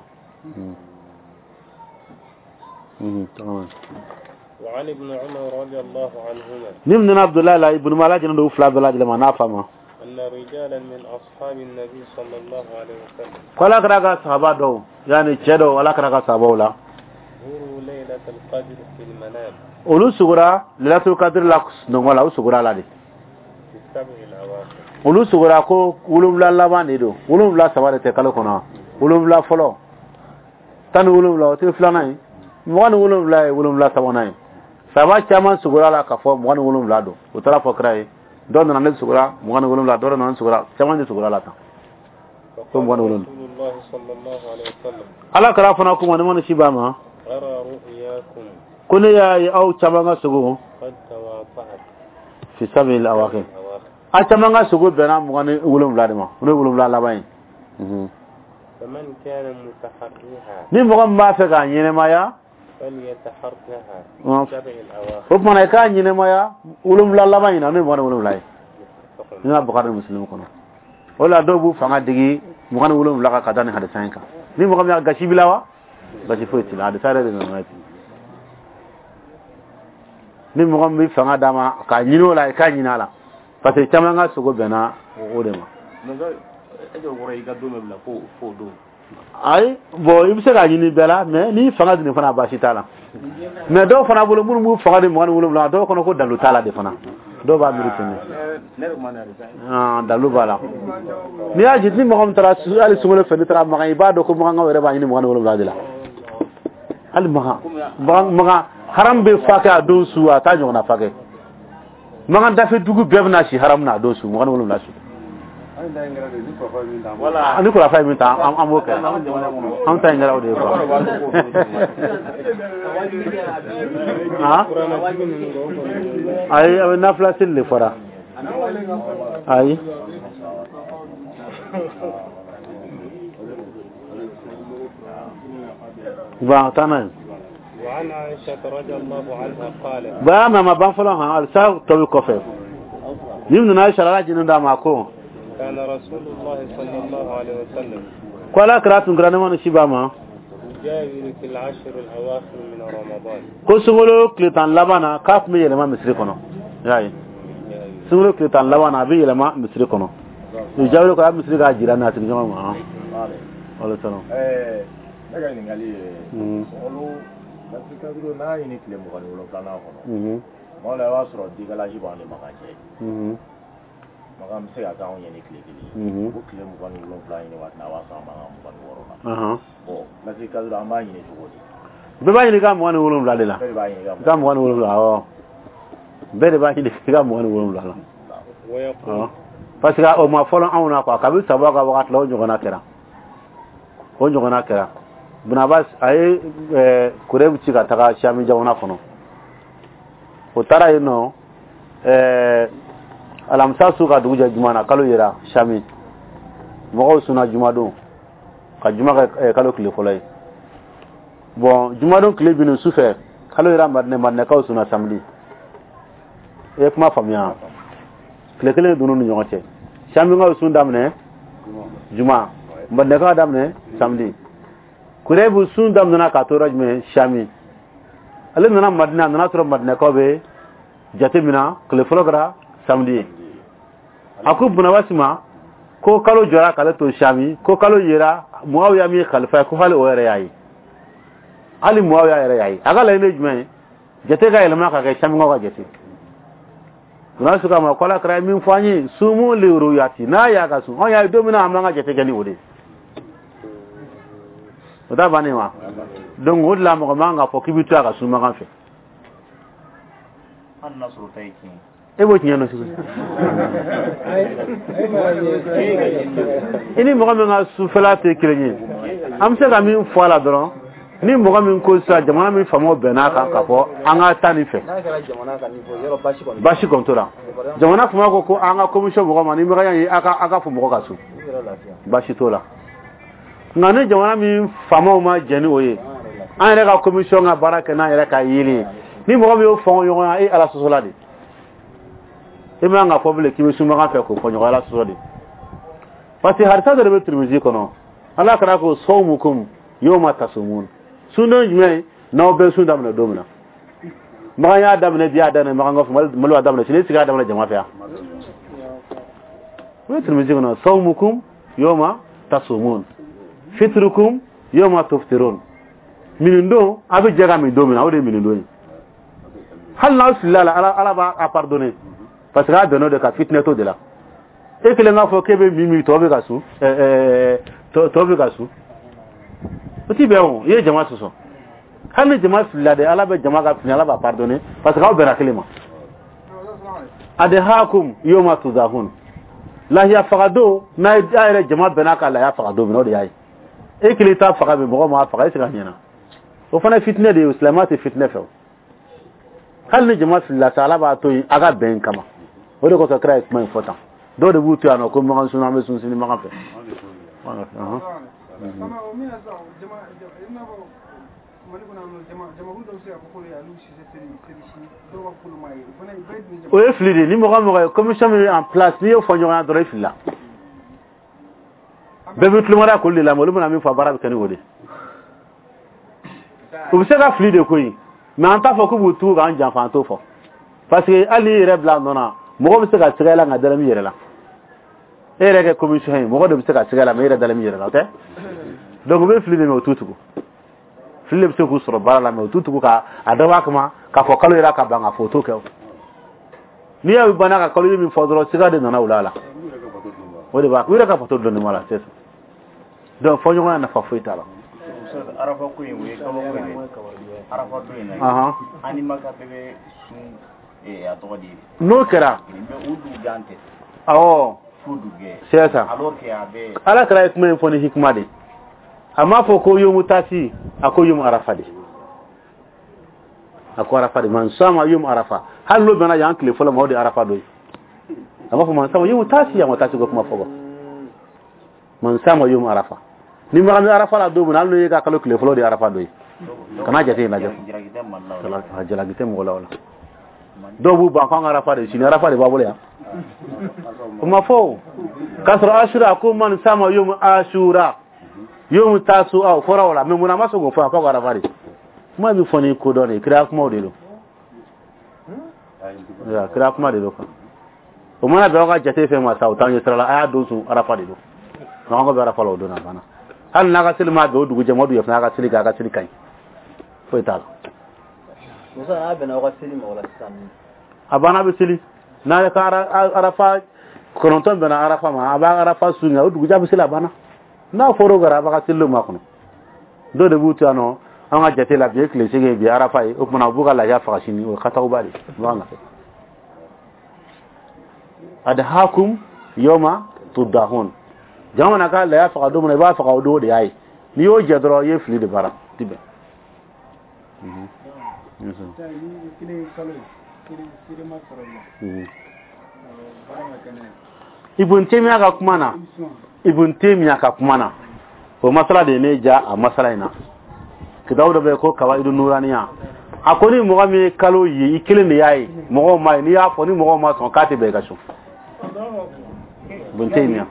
وعن ابن عمر رضي الله عنهما. Ni nana Abdullahi la ibn Umar jɛnɛ don fila bɛɛ lajɛlen ma n'a fa ma. أن رجالا من أصحاب النبي صلى الله عليه وسلم. Ko Ala kɛra ka sahaba dɔw, yani cɛ dɔw, Ala kɛra ka sahabaw la. غروا ليلة القدر في المنام. Olu sugora Lailatul Qadr la sunɔgɔ la, u sugora la de. في السبع الأواخر. Olu sugora ko 7 laban de don. 7 saba de tɛ kalo kɔnɔ. 7 fɔlɔ. 17 o tɛ filanan ye. 27 ye 7 sabanan ye. Sahaba caman sugora la k'a fɔ 27 don. U taara fɔ kira ye. Dɔw nana ne sugora 27, dɔw nana ne sugora, caman de sugora la tan. Ko 27. رسول الله صلى الله عليه وسلم. Ala kɛra fana kuma ni mana si b'a ma. أرى رؤياكم. Ko ne y'a ye aw caman ka sogo. قد تواطأت. في سبع الأواخر. A caman ka sogo bɛnna 27 de ma. O ye 7 laban ye. فمن كان متحريها. Ni mɔgɔ min b'a fɛ k'a ɲɛnɛmaya. فليتحرها في سبع الأواخر. O tuma na i k'a ɲɛnɛmaya 7 laban in na, n'o ye 27 ye. Ni ma Bukhari ni Muslim kɔnɔ. O la dɔw b'u fanga digi 27 kan ka da nin hadisa in kan. Ni mɔgɔ min y'a gasi b'i la wa? Gasi foyi t'i la. Hadisa yɛrɛ de nana ye ten. Ni mɔgɔ min bɛ fanga d'a ma k'a ɲini o la, i k'a ɲini a la, parce que caman ka sogo bɛnna o de ma. Ayi, bon, i bɛ se k'a ɲini bɛɛ la, mais n'i fanga di nin fana, baasi t'a la. Mais dɔw fana bolo, minnu b'u fanga di 27, dɔw kɔnɔ ko dalu t'a la de fana, dɔw b'a miiri ten de. Dalu b'a la. N'i y'a jate, ni mɔgɔ min taara hali sunkalo fɛ, n'i taara Makan, i b'a dɔn ko Makankaw yɛrɛ b'a ɲini 27 de la. Hali Makan, Makan haram bɛ fa kɛ a don su, a t'a ɲɔgɔnna fa kɛ. Makan dafe dugu bɛɛ bɛna si haram na a don su, 27 su. Ni kurafa ye min ta, an b'o kɛ. An ta in kɛra o de ye quoi. Ayi, a bɛ nafila seli de fɔra. Ayi. Bon, taa n'a ye. وعن عائشة رضي الله عنها قالت. Ba ma ban fɔlɔ han, alisa tɔ bɛ kɔfɛ. Ni nana Aisha ala jinin d'a ma ko. كان رسول الله صلى الله عليه وسلم. Ko ala kira tun kɛra ne ma ni si ba ma. يجاور في العشر الأواخر من رمضان. Ko sunkalo tile 10 laban na, k'a tun bɛ yɛlɛma misiri kɔnɔ. Y'a ye. Sunkalo tile 10 laban na, a bɛ yɛlɛma misiri kɔnɔ. Jaabi ko a bɛ misiri k'a jira n'a sigiɲɔgɔn ma. Wale salam. Ne ka ɲininkali ye, sunkalo lasiri n'a ɲini tile 27nan kɔnɔ, tuma dɔ la i b'a sɔrɔ décalage b'an ni Makan cɛ. Makan bɛ se ka k'anw ɲɛ ni tile kelen ye. O tile 27 ɲini waati la, a b'a sɔrɔ an b'an ka 26 la. Bon, lasiri kadiri an b'a ɲini cogo di? Bɛɛ b'a ɲini ka 27 de la. Bɛɛ de b'a ɲini ka 27, awɔ. Bɛɛ de b'a ɲini ka 27 la. Parce que o ma fɔlɔ anw na quoi, kabi saba ka wagati la, o ɲɔgɔnna kɛra. O ɲɔgɔnna kɛra. Bunabas a ye Kurɛbu ci ka taga Sami jamana kɔnɔ. O taara yen nɔ, alamisa su ka dugu jɛ juma na, kalo yera Sami. Mɔgɔw sunna jumadon ka juma kɛ kalo tile fɔlɔ ye. Bon, jumadon tile binni su fɛ, kalo yera Madinɛ, Madinɛkaw sunna samedi. I ye kuma faamuya? Tile kelen donn'u ni ɲɔgɔn cɛ. Samikaw sun daminɛ juma, Madinɛkaw daminɛ samedi. Kurɛbu sun daminɛna k'a to yɔrɔ jumɛn? Sami. Ale nana Madinɛ, a nana sɔrɔ Madinɛkaw bɛ jate min na, tile fɔlɔ kɛra samedi ye. A ko Bunabasi ma ko kalo jɔra k'ale to Sami, ko kalo yera Muawiya min ye khalifa ye, ko hali o yɛrɛ y'a ye. Hali Muawiya yɛrɛ y'a ye. A ka laɲini ye jumɛn ye? Jate ka yɛlɛma ka kɛ Samikaw ka jate. Bunabasi k'a ma ko Ala kɛra ye min fɔ an ye, sumu li ruyati, n'a y'a ka sun, anw y'a ye don min na, an b'an ka jate kɛ ni o de ye. O t'a bannen wa? Donc o de la mɔgɔ man kan k'a fɔ k'i bɛ to a ka sun Makan fɛ. Hali n'a sɔrɔ o ta ye tiɲɛ ye. E b'o tiɲɛ dɔn cogo di? I ni mɔgɔ min ka sufɛla tɛ kelen ye, an bɛ se ka min fɔ a la dɔrɔn, ni mɔgɔ min ko sisan jamana min faamaw bɛnn'a kan k'a fɔ an ka taa nin fɛ, baasi kɔni t'o la. Jamana faamaw ko ko an ka commission mɔgɔ ma, ni mɔgɔ ye a ka fɔ mɔgɔ ka sun, baasi t'o la. Nka ni jamana min faamaw ma jɛn ni o ye, an yɛrɛ ka commission ka baara kɛ n'an yɛrɛ ka yeli ye, ni mɔgɔ min y'o fɔ ɲɔgɔn ye, e Ala sɔsɔla de. E man ka fɔ bilen k'i bɛ sun Makan fɛ k'o fɔ ɲɔgɔn, Ala sɔsɔ de. Parce que hadisa dɔ de bɛ Tirimizi kɔnɔ, Ala kɛra ko sawmukum yawma tasumun, sundon jumɛn n'aw bɛ sun daminɛ don min na. Makan y'a daminɛ bi, y'a daminɛ Makan kɔfɛ, Mali y'a daminɛ sini, e sigi y'a daminɛ jama fɛ yan. O ye Tirimizi kɔnɔ, sawmukum yawma tasumun, fitrukum yawma tuftirun. Minin don, a bɛ jɛ ka min don min na, o de ye minin don ye. Hali n'aw filila la, Ala b'a pardonner, parce que a bɛnn'o de kan, fitinɛ t'o de la. E kelen k'a fɔ k'e bɛ min tɔ bɛ ka sun, tɔ bɛ ka sun, o ti bɛn o, i ye jama sɔsɔ. Hali ni jama filila de, Ala bɛ jama ka fili, Ala b'a pardonner, parce que aw bɛnna kelen ma. Adhakum yawma tudahun, lahiya faga don, n'a yɛrɛ jama bɛnna ka lahiya faga don min na, o de y'a ye. E kelen t'a faga bi, mɔgɔ m'a faga, e se ka ɲɛna. O fana ye fitinɛ de ye, silamɛya tɛ fitinɛ fɛ o. Hali ni jama filila sa, Ala b'a to yen a ka bɛn kama. O de kosɔn kira ye kuma in fɔ tan. Dɔw de b'u to yan nɔ ko Makan sun, an bɛ sun sini Makan fɛ. O ye fili de ye. Ni mɔgɔ mɔgɔ ye commission min en place, n'i y'o fɔ ɲɔgɔn ye dɔrɔn, i filila. Bɛɛ bɛ tulomada k'olu de lamɛn, olu bɛna min fɔ, baara bɛ kɛ ni o de ye. U bɛ se ka fili de koyi, mais an t'a fɔ k'u b'u tugu k'an janfa, an t'o fɔ. Parce que hali n'i yɛrɛ bila a nɔ na, mɔgɔ bɛ se ka siga i la nka dalen b'i yɛrɛ la. E yɛrɛ kɛ commission ye, mɔgɔ de bɛ se ka siga i la mais e yɛrɛ dalen b'i yɛrɛ la, o tɛ? Donc u bɛ fili de mais u t'u tugu. Fili de bɛ se k'u sɔrɔ baara la mais u t'u tugu ka a dabɔ a kama k'a fɔ kalo yɛrɛ ka ban k'a fɔ o t'o kɛ o. N'i y'a ye u banna ka kalo ye min fɔ dɔrɔn, siga de nana u la. O de b'a u yɛrɛ ka bato dɔnni ma la, c'est ça. Donc fɔɲɔgɔnya nafa foyi t'a la. Arafa ko in, o ye kabako ye dɛ. Arafa don in na, an ni Maka bɛɛ bɛ sun, a tɔgɔ di. N'o kɛra. Mais o dugujɛ an tɛ. Awɔ. Fo dugujɛ. C'est ça. Alors que a bɛ. Ala kɛra ye kuma in fɔ ni hikima de. A m'a fɔ ko yomu tasi, a ko yomu arafa de. A ko arafa de, man sama yomu arafa. Hali n'o bɛnna yan tile fɔlɔ ma, o de arafa dɔ ye. A b'a fɔ man sama yomu tasi, a ma tasi ko kuma fɔ. Man sama yomu arafa. Ni maga mi arafa la don min na, hali n'o ye ka kalo tile fɔlɔ de arafa dɔ ye. Kana jate in lajɛ. Jalaki tɛ mɔgɔ la o la. Dɔw b'u ban k'an ka arafa de sini, arafa de b'a bolo yan. O ma fɔ o. K'a sɔrɔ asura ko man sama yomu asura. Yomu tasu aw fɔra o la, mais mun na a ma sɔn k'o fɔ, a ko arafa de. Kuma bɛ fɔ ni kodɔn de ye, kira kumaw de don. Kira kuma de don quoi. O mana bɛn aw ka jate fɛn ma sa, o t'an ɲɛ sira la, a y'a don sun arafa de don. Donc an ko bɛ arafa la o don na banna. Hali n'a ka seli ma bɛn o dugu jɛ ma, o dugu fana a ka seli kɛ, a ka seli ka ɲi. Foyi t'a la. Musa, n'a bɛnna aw ka seli ma o la sisan. A banna, bɛ seli. N'a ka arafa 9 bɛnna arafa ma, a b'a arafa sun o dugujɛ bɛ seli, a banna. N'a fɔra o kɛra, a b'a ka seliw makɔnɔ. Dɔw de b'u to yan nɔ, an ka jate la bi ye tile 8 bi arafa ye, o tuma u b'u ka lahiya faga sini, o ye katawba de ye. U b'a nɔfɛ. Adhakum yawma tudahun. Jama mana ka lahiya faga don min na, i b'a faga o don de y'a ye. N'i y'o jɛ dɔrɔn, i ye fili de baara, ti bɛn. Ibn Taymiyyah ka kuma na, Ibn Taymiyyah ka kuma na, o masala de ye ne ja a masala in na. Kitabu dɔ bɛ yen ko Kawaidu Nuraniya. A ko ni mɔgɔ min ye kalo ye, i kelen de y'a ye, mɔgɔw ma ye, n'i y'a fɔ ni mɔgɔw ma sɔn k'a tɛ bɛn i ka sun. Ibn Taymiyyah.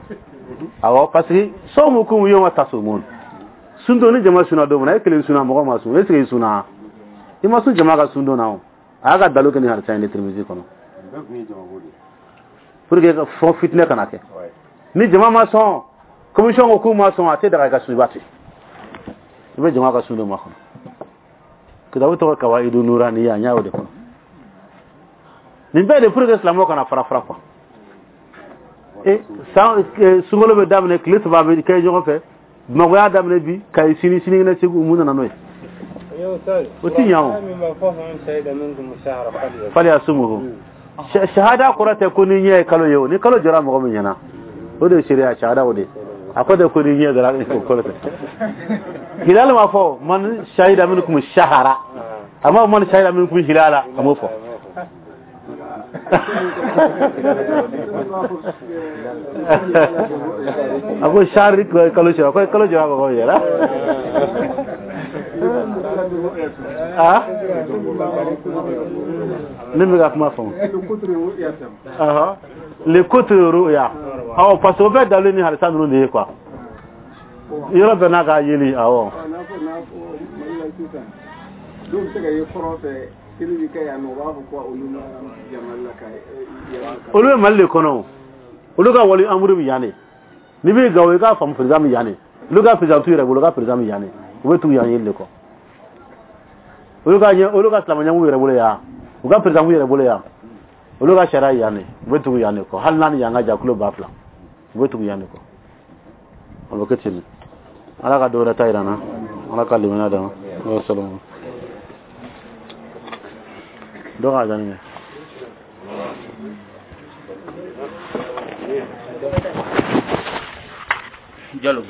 Awɔ, parce que sawmukum yawma tasumun. Sun don ni jama sunna don min na, e kelen sunna, mɔgɔ ma sun, est ce que i sunna? I ma sun jama ka sun don na o. A y'a ka dalu kɛ ni hadisa in de Tirimizi kɔnɔ. Pour que fɔ fitinɛ kana kɛ. Ni jama ma sɔn, commission ko k'u ma sɔn, a tɛ daga i ka sun, i b'a to yen. I bɛ jama ka sun don ma kɔnɔ. Kitabu tɔgɔ Kawaidu Nuraniya, n y'a o de kɔnɔ. Nin bɛɛ de pour que silamɛw kana fara fara quoi. E san sunkalo bɛ daminɛ, tile 3 bɛ kɛ ɲɔgɔn fɛ. Bamakɔ y'a daminɛ bi, Kayi sini, sinikɛnɛ Segu, mun nana n'o ye? O ti ɲa o. Falyasumhu. Shahada kɔrɔ tɛ ko ni ɲɛ ye kalo ye o. Ni kalo jɔra mɔgɔ min ɲɛna, o de ye seereya shahada o de. A ko tɛ ko ni ɲɛ dɔrɔn, o kɔrɔ tɛ. Hilal ma fɔ man shahida minkum shahara. A ma man shahida minkum hilala, a m'o fɔ. A ko shahari kalo jɔra, ko kalo jɔra mɔgɔ min ɲɛna. Ah? Ne bɛ ka kuma faamu. Le kutru ru'ya. Awɔ, parce que o bɛɛ dalilu ni hadisa ninnu de ye quoi. Yɔrɔ bɛɛ n'a ka yeli, awɔ. Dɔw bɛ se ka ye kɔrɔn fɛ, seli bɛ kɛ yan nɔ, u b'a fɔ ko olu ma jama la ka. Olu bɛ Mali de kɔnɔ o. Olu ka wali amuru bɛ yan de. N'i bɛ Gawo, i k'a faamu président bɛ yan de. Olu ka président t'u yɛrɛ bolo, olu ka président bɛ yan de. U bɛ tugu yan yeli de kɔ. Olu ka ɲɛ, olu ka silamɛ ɲɛmɔgɔ yɛrɛ bolo yan. U ka président b'u yɛrɛ bolo yan. Olu ka sariya yan de. U bɛ tugu yan de kɔ. Hali n'a ni yan ka jan kilo 2000. U bɛ tugu yan de kɔ. O bɛ kɛ ten de. Ala ka dɔ wɛrɛ ta yira an na. Ala ka limaniya d'an ma. Salamu. Dɔ k'a danni kɛ. Jalo.